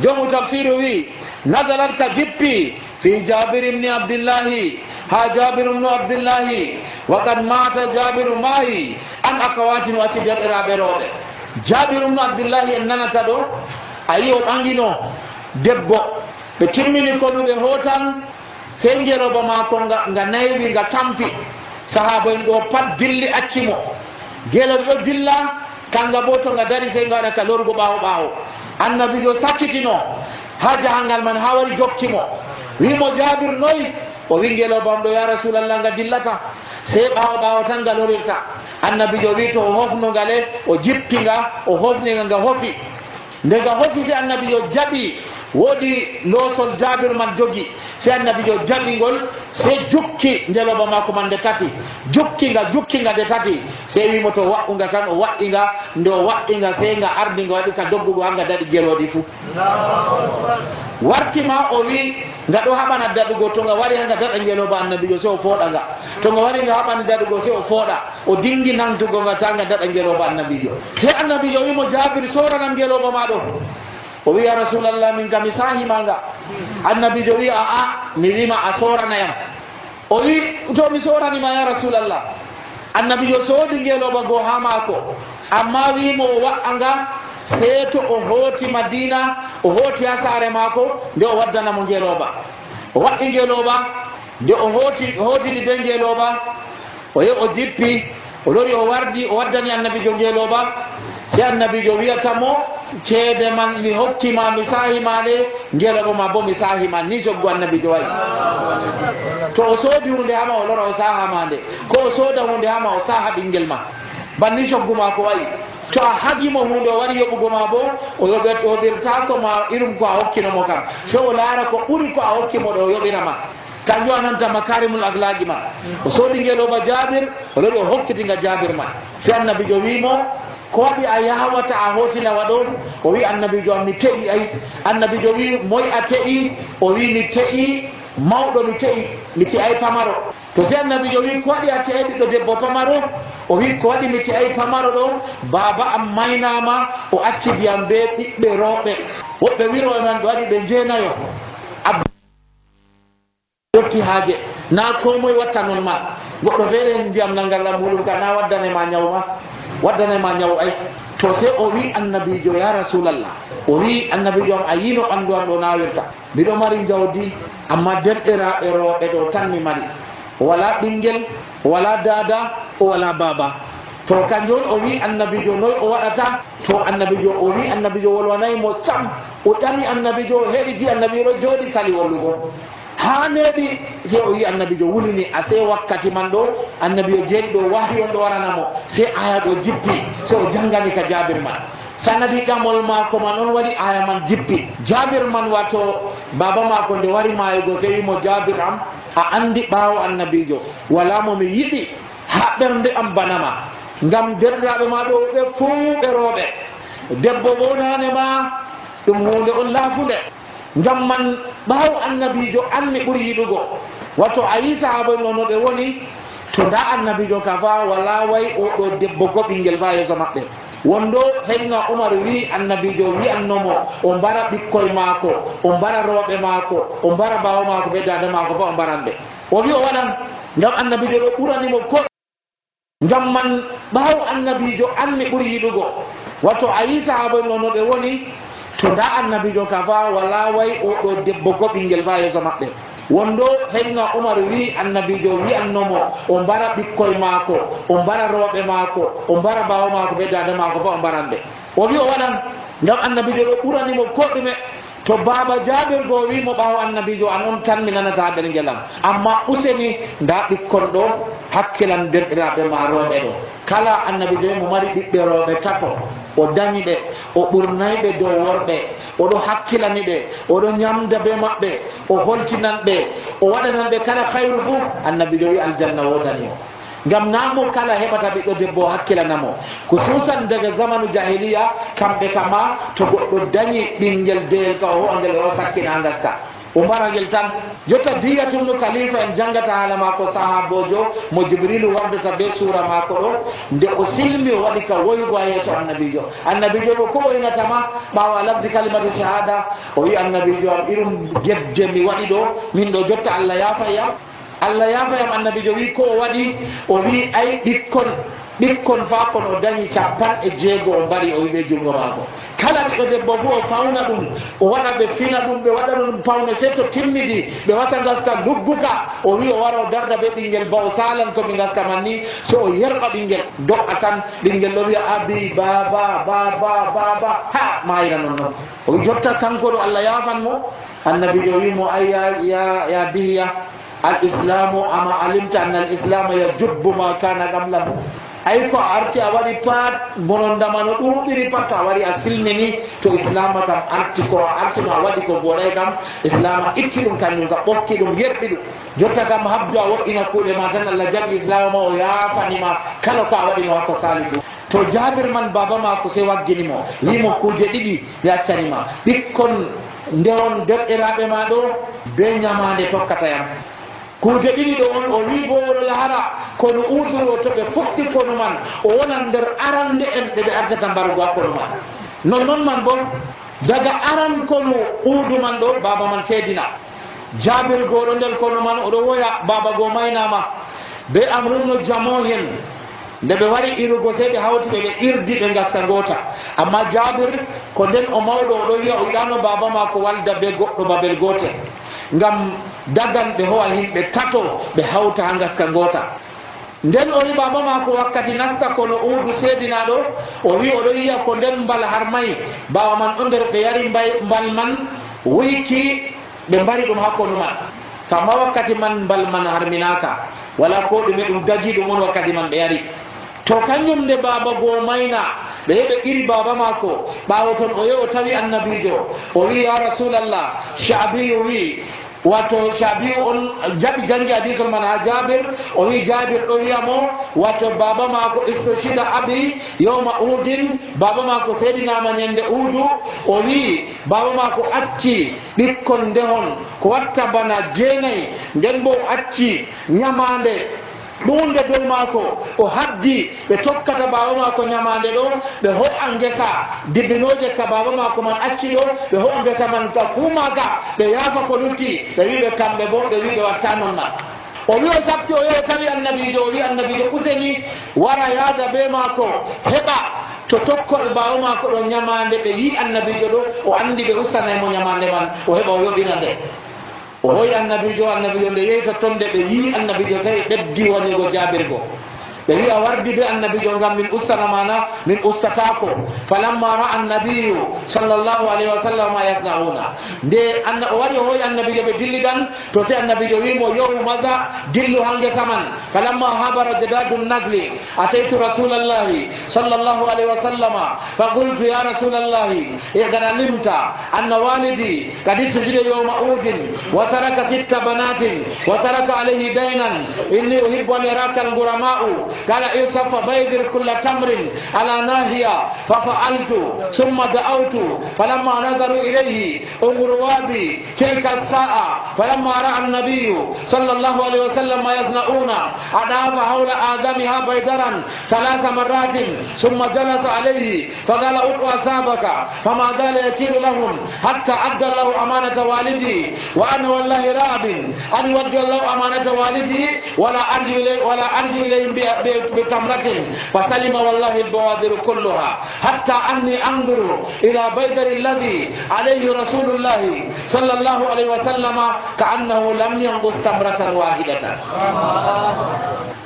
jomu tafsiru wi nazalat ka jippi fi jabir ibni abdillahi ha jabir ibnu abdillahi wa qad mata jabiru maayi an akawatin wati derɗiraɓe rooɓe. jabir ibnu abdillahi en nanata ɗo a yi o ɓangino debbo, ɓe timmini konuɓe hotan sey ngeloba mako nga naywi nga tampi, sahaba en ɗo pat dilli accimo, geloɓe ɗo dilla kanga bo to nga dari sey nga waɗa ka lorgo ɓawo ɓawo. annabijo sakkitino ha jahangal man ha wari jokkimo, wimo jabir noyi, o wi ngelobam ɗo ya rasulallah nga dillata, sey ɓawo ɓawo tan nga lorirta. annabijo wi to o hofno ngale, o jippi nga, o hofniga nga hofi. nde nga hofi sey annabijo jaɓi, woodi loosol jabir man jogi, sey annabijo jaɓingol sey jukki ngeloba mako man nde tati, jukkinga nde tati, sey wimo to waɗunga tan o waɗɗinga, nde o waɗɗinga sey nga ardi nga waɗi ka doggugo hanga daɗi geloɗi fuu. wartima o wi nga ɗo haɓana daɗugo, to nga wari hanga daɗa ngeloba annabijo sey o fooɗa nga, to nga wari nga haɓani daɗugo sey o fooɗa, o dingi nantugo nga ta nga daɗa ngeloba annabijo. sey annabijo wimo jabir soranam ngeloba maɗo, o wi ya rasulallah min kam mi sahimanga. annabijo wi aa mi wima a soranayam. o wi to mi soranima ya rasulallah. annabijo soodi ngeloba goo ha maako, amma wimo o wa'anga sey to o hooti madina, o hooti ha saare maako, nde o waddanamo ngeloba. o waɗɗi ngeloba, nde o hootidi be ngeloba, o yehi o jippi, o lori o wardi, o waddani annabijo ngeloba. sey annabijo wiyatamo ceede man mi hokkima mi sahimade, ngeloba ma bo mi sahima, ni soggu annabijo wayi. to o soodi hunde hama o lora o sahamande, ko o sooda hunde hama o saha ɓinguel ma, banni soggu ma ko wayi. to a hagimo hunde o wari yoɓugo ma bo o yoɓirtako ma irum ko a hokkinomo kam, so o laara ko ɓuri ko a hokkimo ɗo o yoɓirama. kanjum ananta makarimul aglaji ma. o soodi ngeloba jabir, o lori o hokkitinga jabir ma, sey annabijo wimo ko waɗi a yawata a hotilawa ɗo? o wi annabijo am mi te'i. ay annabijo wi moy a te'i? o wi mi te'i mawɗo, mi te'i pamaro. to si annabijo wi ko waɗi a te'ai ɓiɗɗo debbo pamaro o wi ko waɗi mi te'ai pamaro ɗo baba am maynama o acci ndiyam be ɓiɓɓe rewɓe woɓɓe wiroɓe man ɓe waɗi ɓe jeenayo yotti haaje na ko moye watta noon man goɗɗo feere ndiyam nangarɗam muɗum ka na waddanema ñaw ma waddanema ñaw ay to se o wi annabijo ya rasulallah o wi annabijo am a yino ɓanndu am ɗo nawirta mbiɗo mari jawdi amma derɗiraɓe rewɓe ɗo tan mi mari o wala ɓinguel o wala dada o wala baba to kanjum o wi annabijo noy o waɗata to annabijo o wi annabijo wolwanaymo sam o ƴami annabijo o heɗiti annabijo ɗo jooɗi sali wallugo ha neeɓi se o wi annabijo wulini a se wakkati man ɗo annabijo jeeɗi ɗo wahyi on ɗo waranamo se aya ɗo jippi se o janngani ka jabir man sanadi ƴamol maako man on waɗi aya man jippi jabir man wato baba maako nde wari mayugo se wimo jabir am a andi ɓaawo annabijo wala mo mi yiɗi ha ɓernde am banama ngam derɗiraɓe ma ɗo ɓe fuu ɓe rooɓe debbo wonane ma ɗum hunde on laafunde ngam man ɓaawo annabijo an mi ɓuri yiɗugo wato a yi sahaba no ɓe woni to nda annabijo ka fa wala way oɗo debbo ko ɓinguel fa yeeso maɓɓe wondo saydna oumar wi annabijo wi'annomo o mbara ɓikkoye maako o mbara rewɓe maako o mbara bawo maako ɓe dande maako fa o mbaran ɓe o wi o waɗan ngam annabijo ɗo ɓuranimo ko ngam man ɓaawo annabijo an mi ɓuri yiɗugo wato a yi sahaba no ɓe woni to nda annabijo ka fa wala way oɗo debbo ko ɓinguel fa yeeso maɓɓe wondo saydna oumar wi annabijo wi'annomo o mbara ɓikkoye maako o mbara rewɓe maako o mbara bawo maako ɓe dande maako fa o mbaran ɓe o wi o waɗan ngam annabijo ɗo ɓuranimo ko ɗume to baba jabir go wimo ɓaawo annabijo an on tan mi nanata ɓergelam amma useni nda ɓikkon ɗo hakkilan derɗiraɓe ma rewɓe ɗo kala annabijo mo mari ɓiɓɓe rewɓe tato o dañi ɓe o ɓurnayi ɓe dow worɓe oɗo hakkilani ɓe oɗo ñamda be maɓɓe o holtinan ɓe o waɗanan ɓe kala hayru fuu annabijo wi aljanna wodani o ngam namo kala heɓata ɓiɗɗo debbo hakkilanamo ko susan daga zamanu jahiliya kamɓe kama to goɗɗo dañi ɓinguel deyel ka o ho'angel o sakkina gaska o mbaragel tan jotta diyatumno khalifa en jangata haala mako sahabojo mo jibrilu wardata be sura mako ɗo nde o silmi o waɗi ka woygo a yeeso annabijo ɗo ko woynatama ɓawa lafdi kalimatu shahada o wi annabijo am irum gebde mi waɗi ɗo min ɗo jotta allah yafayam allah yafayam annabijo wi ko o waɗi o wi ay ɓikkon fa kon o dañi 50 o mbari o wiɓe jungo maako kala ɓiɗɗo debbo fo o fawna ɗum o waɗa ɓe fina ɗum ɓe waɗa ɗum pawne se to timmidi ɓe wasa gaska lugguka o wi o wara o darda be ɓinguel ba o salan komi gaska man ni so o yerɓa ɓinguel do'a tan ɓinguel ɗo wiya abi baba ha mayira non noon o wi jotta kanko ɗo allah yafan mo annabijo wimo ay ya dihiya al islamu ama alimta anna al islama yajubbu ma kana qablahu ay ko arti a waɗi pat bonondamano ɗuɗiri pat to a wari a silmini to islama kam arti ko artino a waɗi ko boɗay kam islama itti ɗum kañum ka ɓokki ɗum yerɓi ɗum jotta kam habdu a woɗɗina kuuɗe ma tan allah jaɓi islama ma o yafanima kala ko a waɗino hakko sali fu to jabir man baba mako se wagginimo wimo kuje ɗiɗi mi accanima ɓikkon nderon derɗiraɓe ma ɗo be ñamande tokkatayam kuje ɗiɗi ɗo on o wi bo oɗo lahara kono uduro to ɓe fuɗɗi kono man o wonan nder arande en ɗe ɓe ardata mbarugo ha kono man nonnoon man bo daga aran kono uudu man ɗo baba man seedina jabir goɗo nder kono man oɗo woya baba go maynama be amrunno jamo hen nde ɓe wari irugo se ɓe hawti ɓe irdi ɓe gaska gota amma jabir ko nden o mawɗo oɗo wiya o yiɗano baba ma ko walda be goɗɗo babel gotel ngam dagan ɓe howa himɓe tato ɓe hawta ha gaska gota nden o wi baba ma ko wakkati nasta kono uudu seedinaɗo o wi oɗo yiya ko nden mbal harmayi bawa man ɗo nder ɓe yari mbal man wuyki ɓe mbari ɗum ha kono man kamma wakkati man mbal man harminaka wala ko ɗume ɗum dagi ɗum on wakkati man ɓe yari to kañum nde baba go mayna ɓe heɓe iri baba mako ɓawo ton o yehi o tawi annabijo o wi ya rasulallah shabiyu wi wato shabi on jabi jangi hadisul man ha Jabir o wi Jabir do wiyamo wato baba mako istoshida abi yawma udin baba mako seydina ma nyande udu o wi baba mako acci bikkon dehon ko watta bana jeenay nden bo acci nyamande ɗunde dow maako o haddi ɓe tokkata baba maako nyamande ɗo ɓe ho'a ngesa dibbinoje ka baba maako man acci ɗo ɓe ho'a ngesa man ka fuu maga ɓe yaafa ko lutti ɓe wiɓe kamɓe bo ɓe wiɓe watta non man o wi o sabti o yehi tawi annabijo o wi annabijo useni wara yaada be maako heɓa to tokkoɓe baba maako ɗo nyamande ɓe yi annabijo ɗo o andi ɓe ustanaymo nyamande man o heɓa o yoɓina nde o hoyi annabijo nde yehi to tonde ɓe yi annabijo tawi ɓeddi wonigo Jabirgo ɓe wi a wardi be annabijo ngam min ustana mana min ustatako falamma ra'a annabiyu sallallahu alaihi wa sallam ma yasnauna nde o wari o hoyi annabijo ɓe dillidan to sai annabijo wimo yohu maza dillu hange saman falamma habara jadadun nagli ataytu rasulallahi sallallahu alaihi wa sallama faqultu ya rasulallahi gana limta anna walidi qad sujida yawma udin wa taraka 6 banatin wa taraka alayhi daynan inni uhibbu an yaraka al-gurama'u قال يوسف بيدر كل تمر على ناهية ففعلت ثم دعوت فلما نظروا إليه انظروا بي تلك الساعة فلما رأى النبي صلى الله عليه وسلم ما يصنعون أضاف حول آدمها بيدرا 3 مرات ثم جلس عليه فقال ادعوا أصحابك فما زال يكيل لهم حتى أدى الله أمانة والدي وأنا والله راب أن يودي الله أمانة والدي ولا أرجو إليهم بتمرة فسلم والله البوادر كلها حتى أني أنظر إلى بيدر الذي عليه رسول الله صلى الله عليه وسلم كأنه لم ينقص تمرة واحدة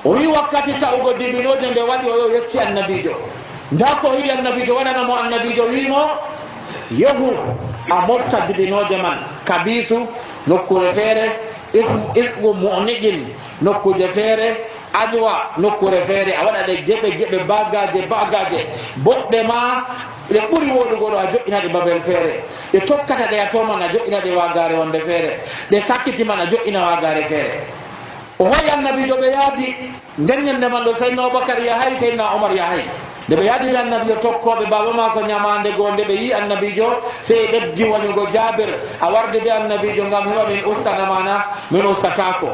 وي وقت تأوغو ديبينوجن دي وادي ويو يكشي النبيجو داكو هي النبيجو وانا مو النبيجو ويمو يهو أمورتا ديبينوجن من كبيسو نكو رفيري ismu mu'nijin nokkuje feere adwa nokkure feere a waɗa ɗe geɓe bagaje boɗɗe ma ɗe ɓuri woɗugo ɗo a joƴƴina ɗe babel feere ɗe tokkata ɗe a toman a joƴƴina ɗe wagare wonde feere ɗe sakkitiman a joƴƴina wagare feere o hoyi annabijo ɓe yaadi nden ñande man ɗo seydna Aboubacar yahay seydna Omar yahay nde ɓe yaadiri annabijo tokkoɓe baba mako ñamande goo nde ɓe yi annabijo sey ɓeddi wonigo Jabir a warde be annabijo ngam heɓa min ustana mana min ustatako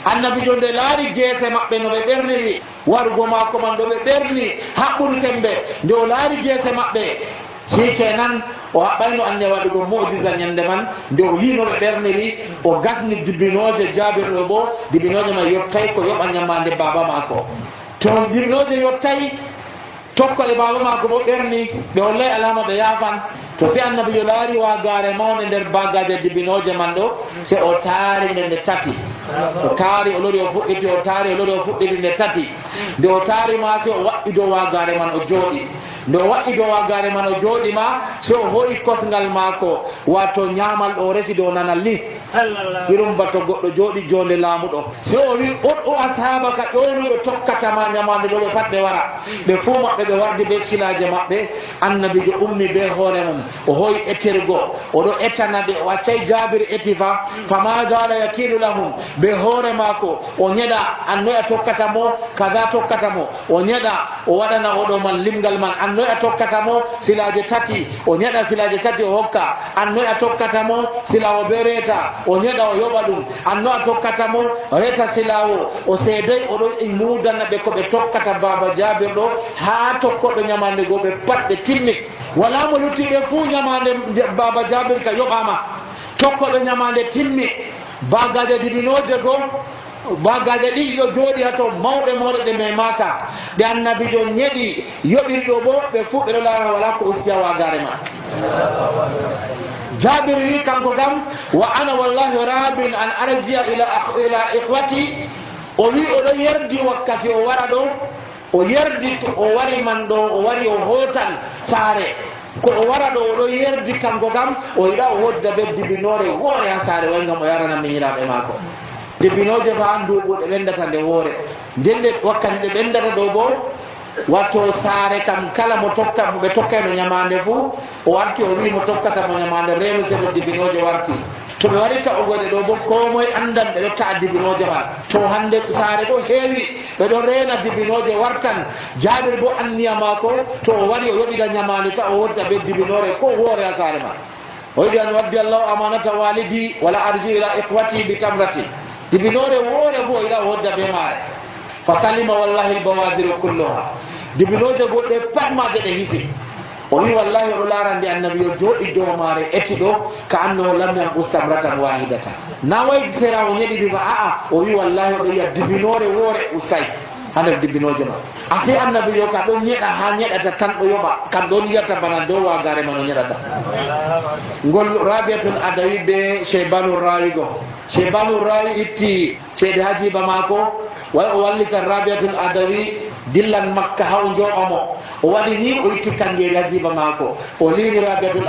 annabijo nde laari geese maɓɓe no ɓe ɓerniri warugo mako man ɗo ɓe ɓerni haɓɓuru sembe nde o laari geese maɓɓe shikenan o haɓɓayno ande waɗugo mu'jiza ñande man nde o yino ɓe ɓerniri o gasni dibinoje Jabir ɗo bo dibinoje man yottay ko yoɓa ñamande baba mako to dibinoje yottay tokkole baba mako bo ɓerni ɓe hollay alama ɓe yaafan to si annabijo laari wagare mawde nder bagaje dibinoje man ɗo se o taari nde tati o taari o lori o fuɗɗiti o taari o lori o fuɗɗiti nde tati nde o taari ma se o waɗɗi dow wagare man o jooɗi nde o waɗɗi dow wagare man o jooɗi ma se o hoyi kosngal maako wato ñaamal ɗo resi dow nanal ni irum bato goɗɗo jooɗi jonde laamuɗo se o wi o ashabaka ƴownuɓe tokkatama ñamande ɗo ɓe pat ɓe wara ɓe fuu maɓɓe ɓe wardi be silaje maɓɓe annabijo ummi be hoore mum o hoyi ettirgo oɗo ettana ɓe o accay Jabir etifa fama dala yakilu lahum ɓe hoore maako o ñeɗa annoy a tokkata mo kaza tokkata mo o ñeɗa o waɗana oɗo man limgal man annoy a tokkata mo silaje tati o ñeɗa silaje tati o hokka annoy a tokkata mo silawo be reeta o ñeɗa o yoɓa ɗum anno a tokkata mo reeta silawo o seedoy oɗo mudana ɓe ko ɓe tokkata baba Jabir ɗo ha tokkoɓe ñamande go ɓe pat ɓe timmi wala mo luttiɓe fuu ñamande baba Jabir ka yoɓama tokkoɓe ñamande timmi bagaje dibinoje go bagaje ɗiɗi ɗo jooɗi hato mawɗe ɗe memaka ɗe annabijo ñeɗi yoɓirɗo bo ɓe fuu ɓeɗo laara wala ko ustiya wagare ma Jabir wi kanko kam wa ana wallahi rabin an arjia ila ikhwati o wi oɗo yerdi wakkati o wara ɗo o yerdi o wari man ɗo o wari o hotan saare ko o wara ɗo oɗo yerdi kanko kam o yiɗa o hodda ɓe dibinore woore ha saare way gam o yarana miñiraɓe maako dibinoje fa nduɓu ɗe ɓendata nde woore nden ɗe wakkati ɗe ɓendata ɗo bo watto saare kam kala mo tokka ɓe tokkayno ñamande fuu o warti o wi mo tokkata mo ñamande reenu seɗo dibinoje warti to ɓe waɗi ta'ugode ɗo bo ko moye andan ɓe ɗo ta'a dibinoje man to hande saare ɗo heewi ɓe ɗo reena dibinoje wartan Jabir bo anniya maako to o wari o yoɓida ñamani ta o wodda ɓe dibinore ko woore a saare ma o yiɗi an waddi allahu amanata walidi wala arji ila ikhwati bi tamrati dibinore woore fo o yiɗa o wodda ɓe maare fa salima wallahi lbawadiru kulluha dibinoje goɗɗe pat maje ɗe hisi o wi wallahi oɗo larandi annabi o jooɗi dow maare eti ɗo ka anno lam yanqus tamratan wahidata na wayi sera o ñeɗiɗi ba aa o wi wallahi oɗo yiya dibinore woore ustay ha nder dibinoje ma ase annabi yo ka ɗon ñeɗa ha ñeɗata tan ɗo yoɓa kam ɗon yiyata bana dow wagare ma no ñeɗata ngol Rabiatul Adawi ɓe Cheybanu Rawi go Cheybanu Rawi itti ceede ha jiba maako way o wallitan Rabiatul Adawi dillan Makka ha o jooɓamo o waɗi ni o itti kanngeli ha jiba maako o liini Rabiatul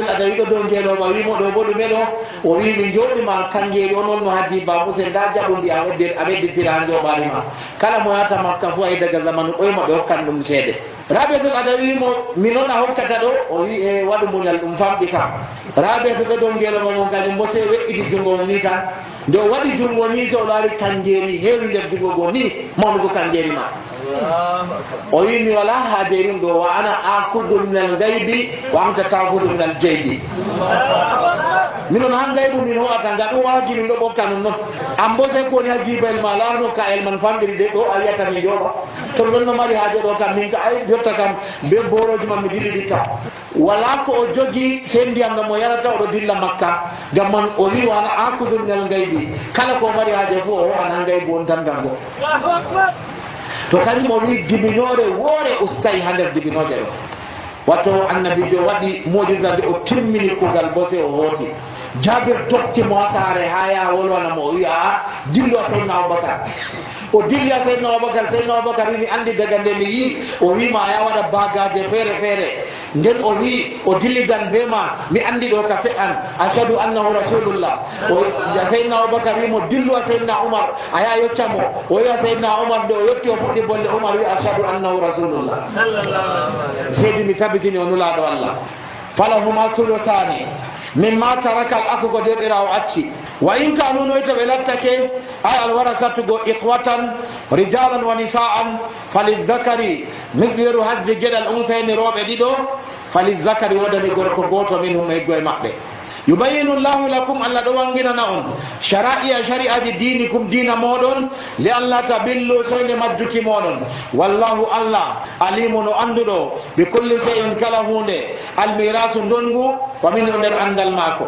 Adawi ɗo dow ngeeloma wimo ɗo bo ɗume ɗo o wi mi jooɗima kanngeli o noon no ha jiba musen nda jaɓundi a wedditira ha jooɓani ma kala mo yata Makka fo ay daga zamanu ɓoyma ɓe hokkan ɗum ceede Rabiatul Adawi mo minon a hokkata ɗo o wi e waɗu muñal ɗum famɗi kam Rabiatu ɗo dow ngeeloma mon kañum bo se weƴƴiti junngo ni tan nde o waɗi junngo ni so o laari kanngeli heewi nder junngo go ni mawnugo kanngeli ma o wi mi wala haaje ɗum ɗo wa ana akudu minal gaybi wa anta takudu minal jeydi minon han gaybu min hoɗata nga ɗum waaji min ɗo ɓofta non noon an bo sey ko woni ha jibayel ma laarno ka el man famɗiri de ɗo a wiyata mi jooɗo to ɗon no mari haaje ɗo kam min ka ay jotta kam be boroji man mi dilliɗitta wala ko o jogi sey ndiyam ɗam o yarata oɗo dilla Makka ngam man o wi wana akudu minal gaybi kala ko mari haaje fof o hoɓan han gaybu on tan gam go to kañum o wi dibinore woore ustayi ha nder dibinoje ɗo watto annabijo waɗi mojisa nde o timmini kugal bo se o hooti Jabir dottimo ha saare ha ya wolwanamo o wi a dillo a Seydina Aboubacar o dilli a Seydina Aboubacar wimi andi daga nde mi yi o wima a ya waɗa bagaje feere feere nden o wi o dilligan be ma mi andi ɗo ka fe'an ashhadu annahu rasulullah o Seydina Aboubacar wimo dillu a Seydina Oumar a ya yoccamo o wi a Seydina Oumar nde o yetti o fuɗɗi bolle Oumar wi ashhadu annahu rasulullah seydi mi tabitini o nulaɗo Allah falahuma sulusani mimma taraka al akhu ko derɗirawo acci wa in kanu noyta ɓe lattake ay alwarasatugo ikhwatan rijalan wa nisaan falidhakari misliru haddi geɗal unsayni rooɓe ɗiɗo falidhakari wodani gorko goto minhum eggo e maɓɓe yubayinu llahu lakum allah ɗo wanginana on shara'iya shari'aji dinikum dina moɗon li allah tabillu soyde majjuki moɗon wallahu allah alimu no anduɗo bi kulli shay'in kala hunde almirasu ndongu wa min nder andal maako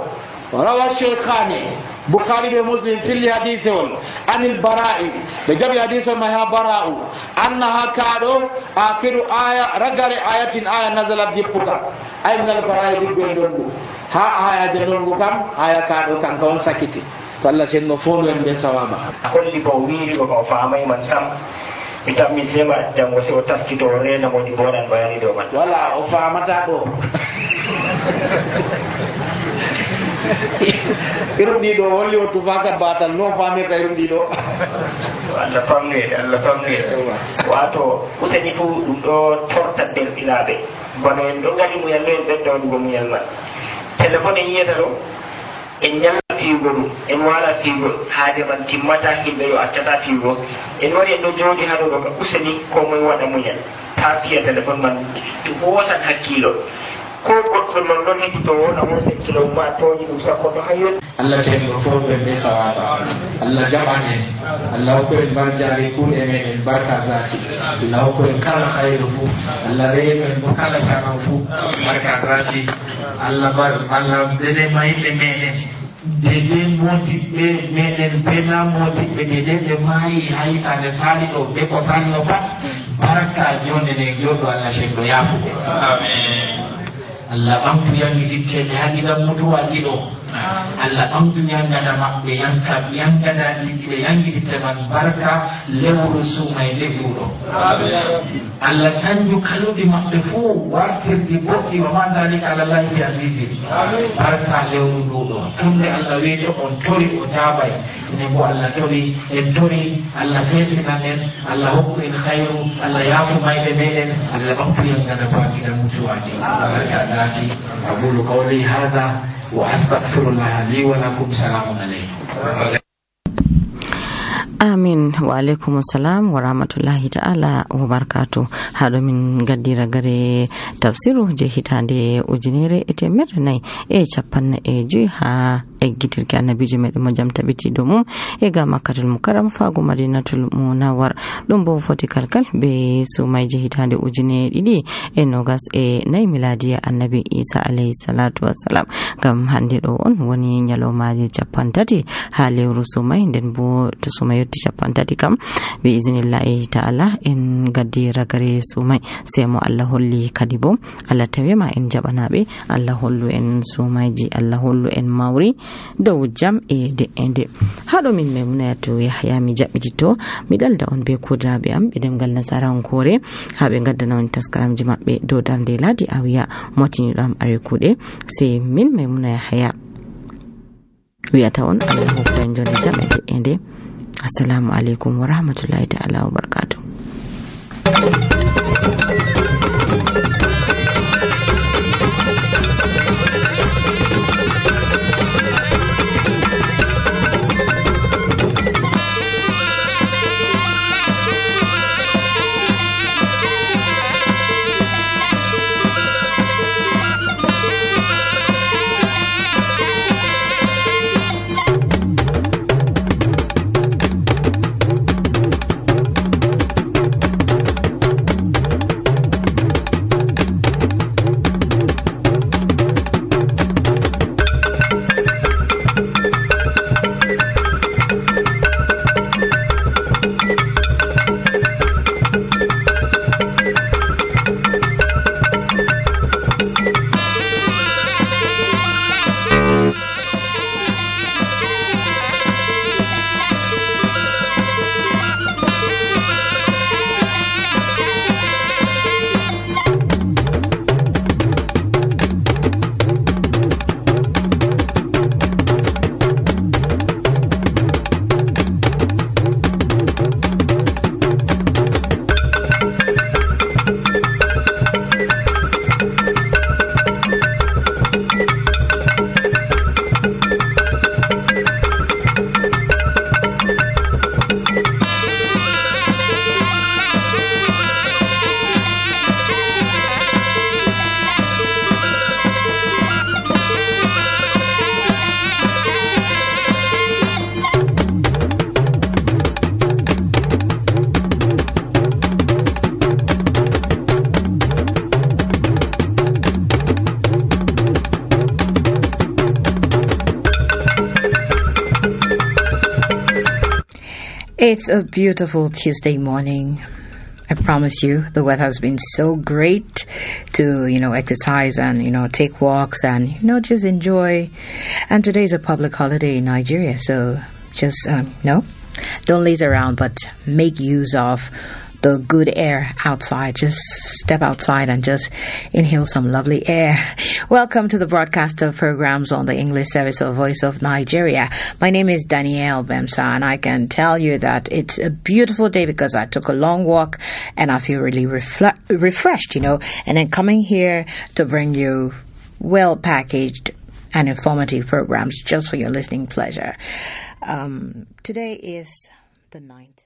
rawa sheikhani Bukhari be Muslim filli hadise on anil bara'i be jabi hadise ma ha bara'u annaha kaɗo akiru aya ragare ayatin aya nazalat jippuka ay ngal bara'i diggo ndongu ha ayaje ndongu kam aya kaɗo kanka on sakiti to Allah senno fondu en be sawaba holli ko wiiri ko famay man sam mi tammi sema jango se o taskito o rena modi bonan bayani do man wala o famata ɗo irum ɗiɗo holli o tufaka batal no famirta irum ɗiɗo Allah famnoyde wato useni fu ɗum ɗo tortat derɗiraɓe bono en ɗo gadi muyal no en ɓeddawaɗugo muyal man téléphone en yiyata ɗo en ñalla fiigo ɗum en wala fiigo haade man timmata himɓe yo accata fiigo en wari en ɗo jooɗi ha ɗo ɗo ka useni ko moye waɗa muñal ta fiya téléphone man hoosan hakkilo ko goɗɗo non ɗon heɓi to wona mo sekkilo ma toñi ɗum sappo to hayyon Allah ceerno fofɓe be sawaba Allah jaɓan en Allah hokku en barjari kuuɗe meɗen barka zati Allah hokku en kala hayru fuu Allah reyno en mo kala jaman fuu barka zati Allah dede mayɓe meɗen dede modiɓɓe meɗen bena modiɓɓe dede ɓe maayi hayitande sali ɗo ɓe ko salno pat barka jonde nden joɗo Allah ceerno yafuɓe Allah ɓamtu yangitittede haɗiɗan mutuwaji ɗo Allah ɓamtu yangada maɓɓe yangada ɗiɗi yangititte man barka lewru sumay leɓuɗo Allah sanju kaluɗi maɓɓe fuu wartirɗi boɗɗi wa ma dalika alallahi bi azizi barka lewru nduɗo tunde Allah weejo on tori o jaabay enen bo Allah keɓi en tori Allah feesinan en Allah hokku en hayru Allah yaafu mayde meɗen Allah ɓamtu en gana bakiɗa mutuwaji barkadati aqulu qawli hada wa astaghfirullah li wa lakum salamun alaykum. Amin wa alaikum salam wa rahmatullahi ta'ala wa barakatu. Haɗo min gaddira gare tafsiru je hitande ujunere temerre nayi e capanɗe e joyi ha eggitirki annabijo meɗen mo jam tabiti dow mum e ga makkatul mukarram fago madinatul munawwar. ɗum bo foti kalkal be sumayje hitande ujune ɗiɗi e nogas e nayi miladiya annabi isa alayhi salatu wassalam. gam hande ɗo on woni nyalomaje capantati ha lewru sumay, nden bo to sumay yetti capantati kam bi iznillahi ta'ala en gaddi ragare sumay sai mo Allah holli kadi bo Allah tawema en jabanaɓe, Allah hollu en sumayji, Allah hollu en mawri dow jam e de'ende. haɗo min Maimunatu Yahya mi jaɓɓitito mi dalda on be kudiraɓe am ɓe demgal nasarankore ha ɓe gaddana on taskaramji maɓɓe dow darde ladi awiya motiniɗo am are kuɗe. sai min Maimuna Yahya wiyata on Allah hokku en jonde jam e de'ende. Assalamu alaikum wa rahmatullahi ta'ala wa barakatuh. It's a beautiful Tuesday morning. I promise you, the weather has been so great to, exercise and, take walks and, just enjoy. And today is a public holiday in Nigeria, so just, don't laze around, but make use of the good air outside. Just step outside and just inhale some lovely air. Welcome to the broadcast of programs on the English service of Voice of Nigeria. My name is Danielle Bemsa, and I can tell you that it's a beautiful day because I took a long walk and I feel really refreshed, and then coming here to bring you well-packaged and informative programs just for your listening pleasure. Today is the 9th.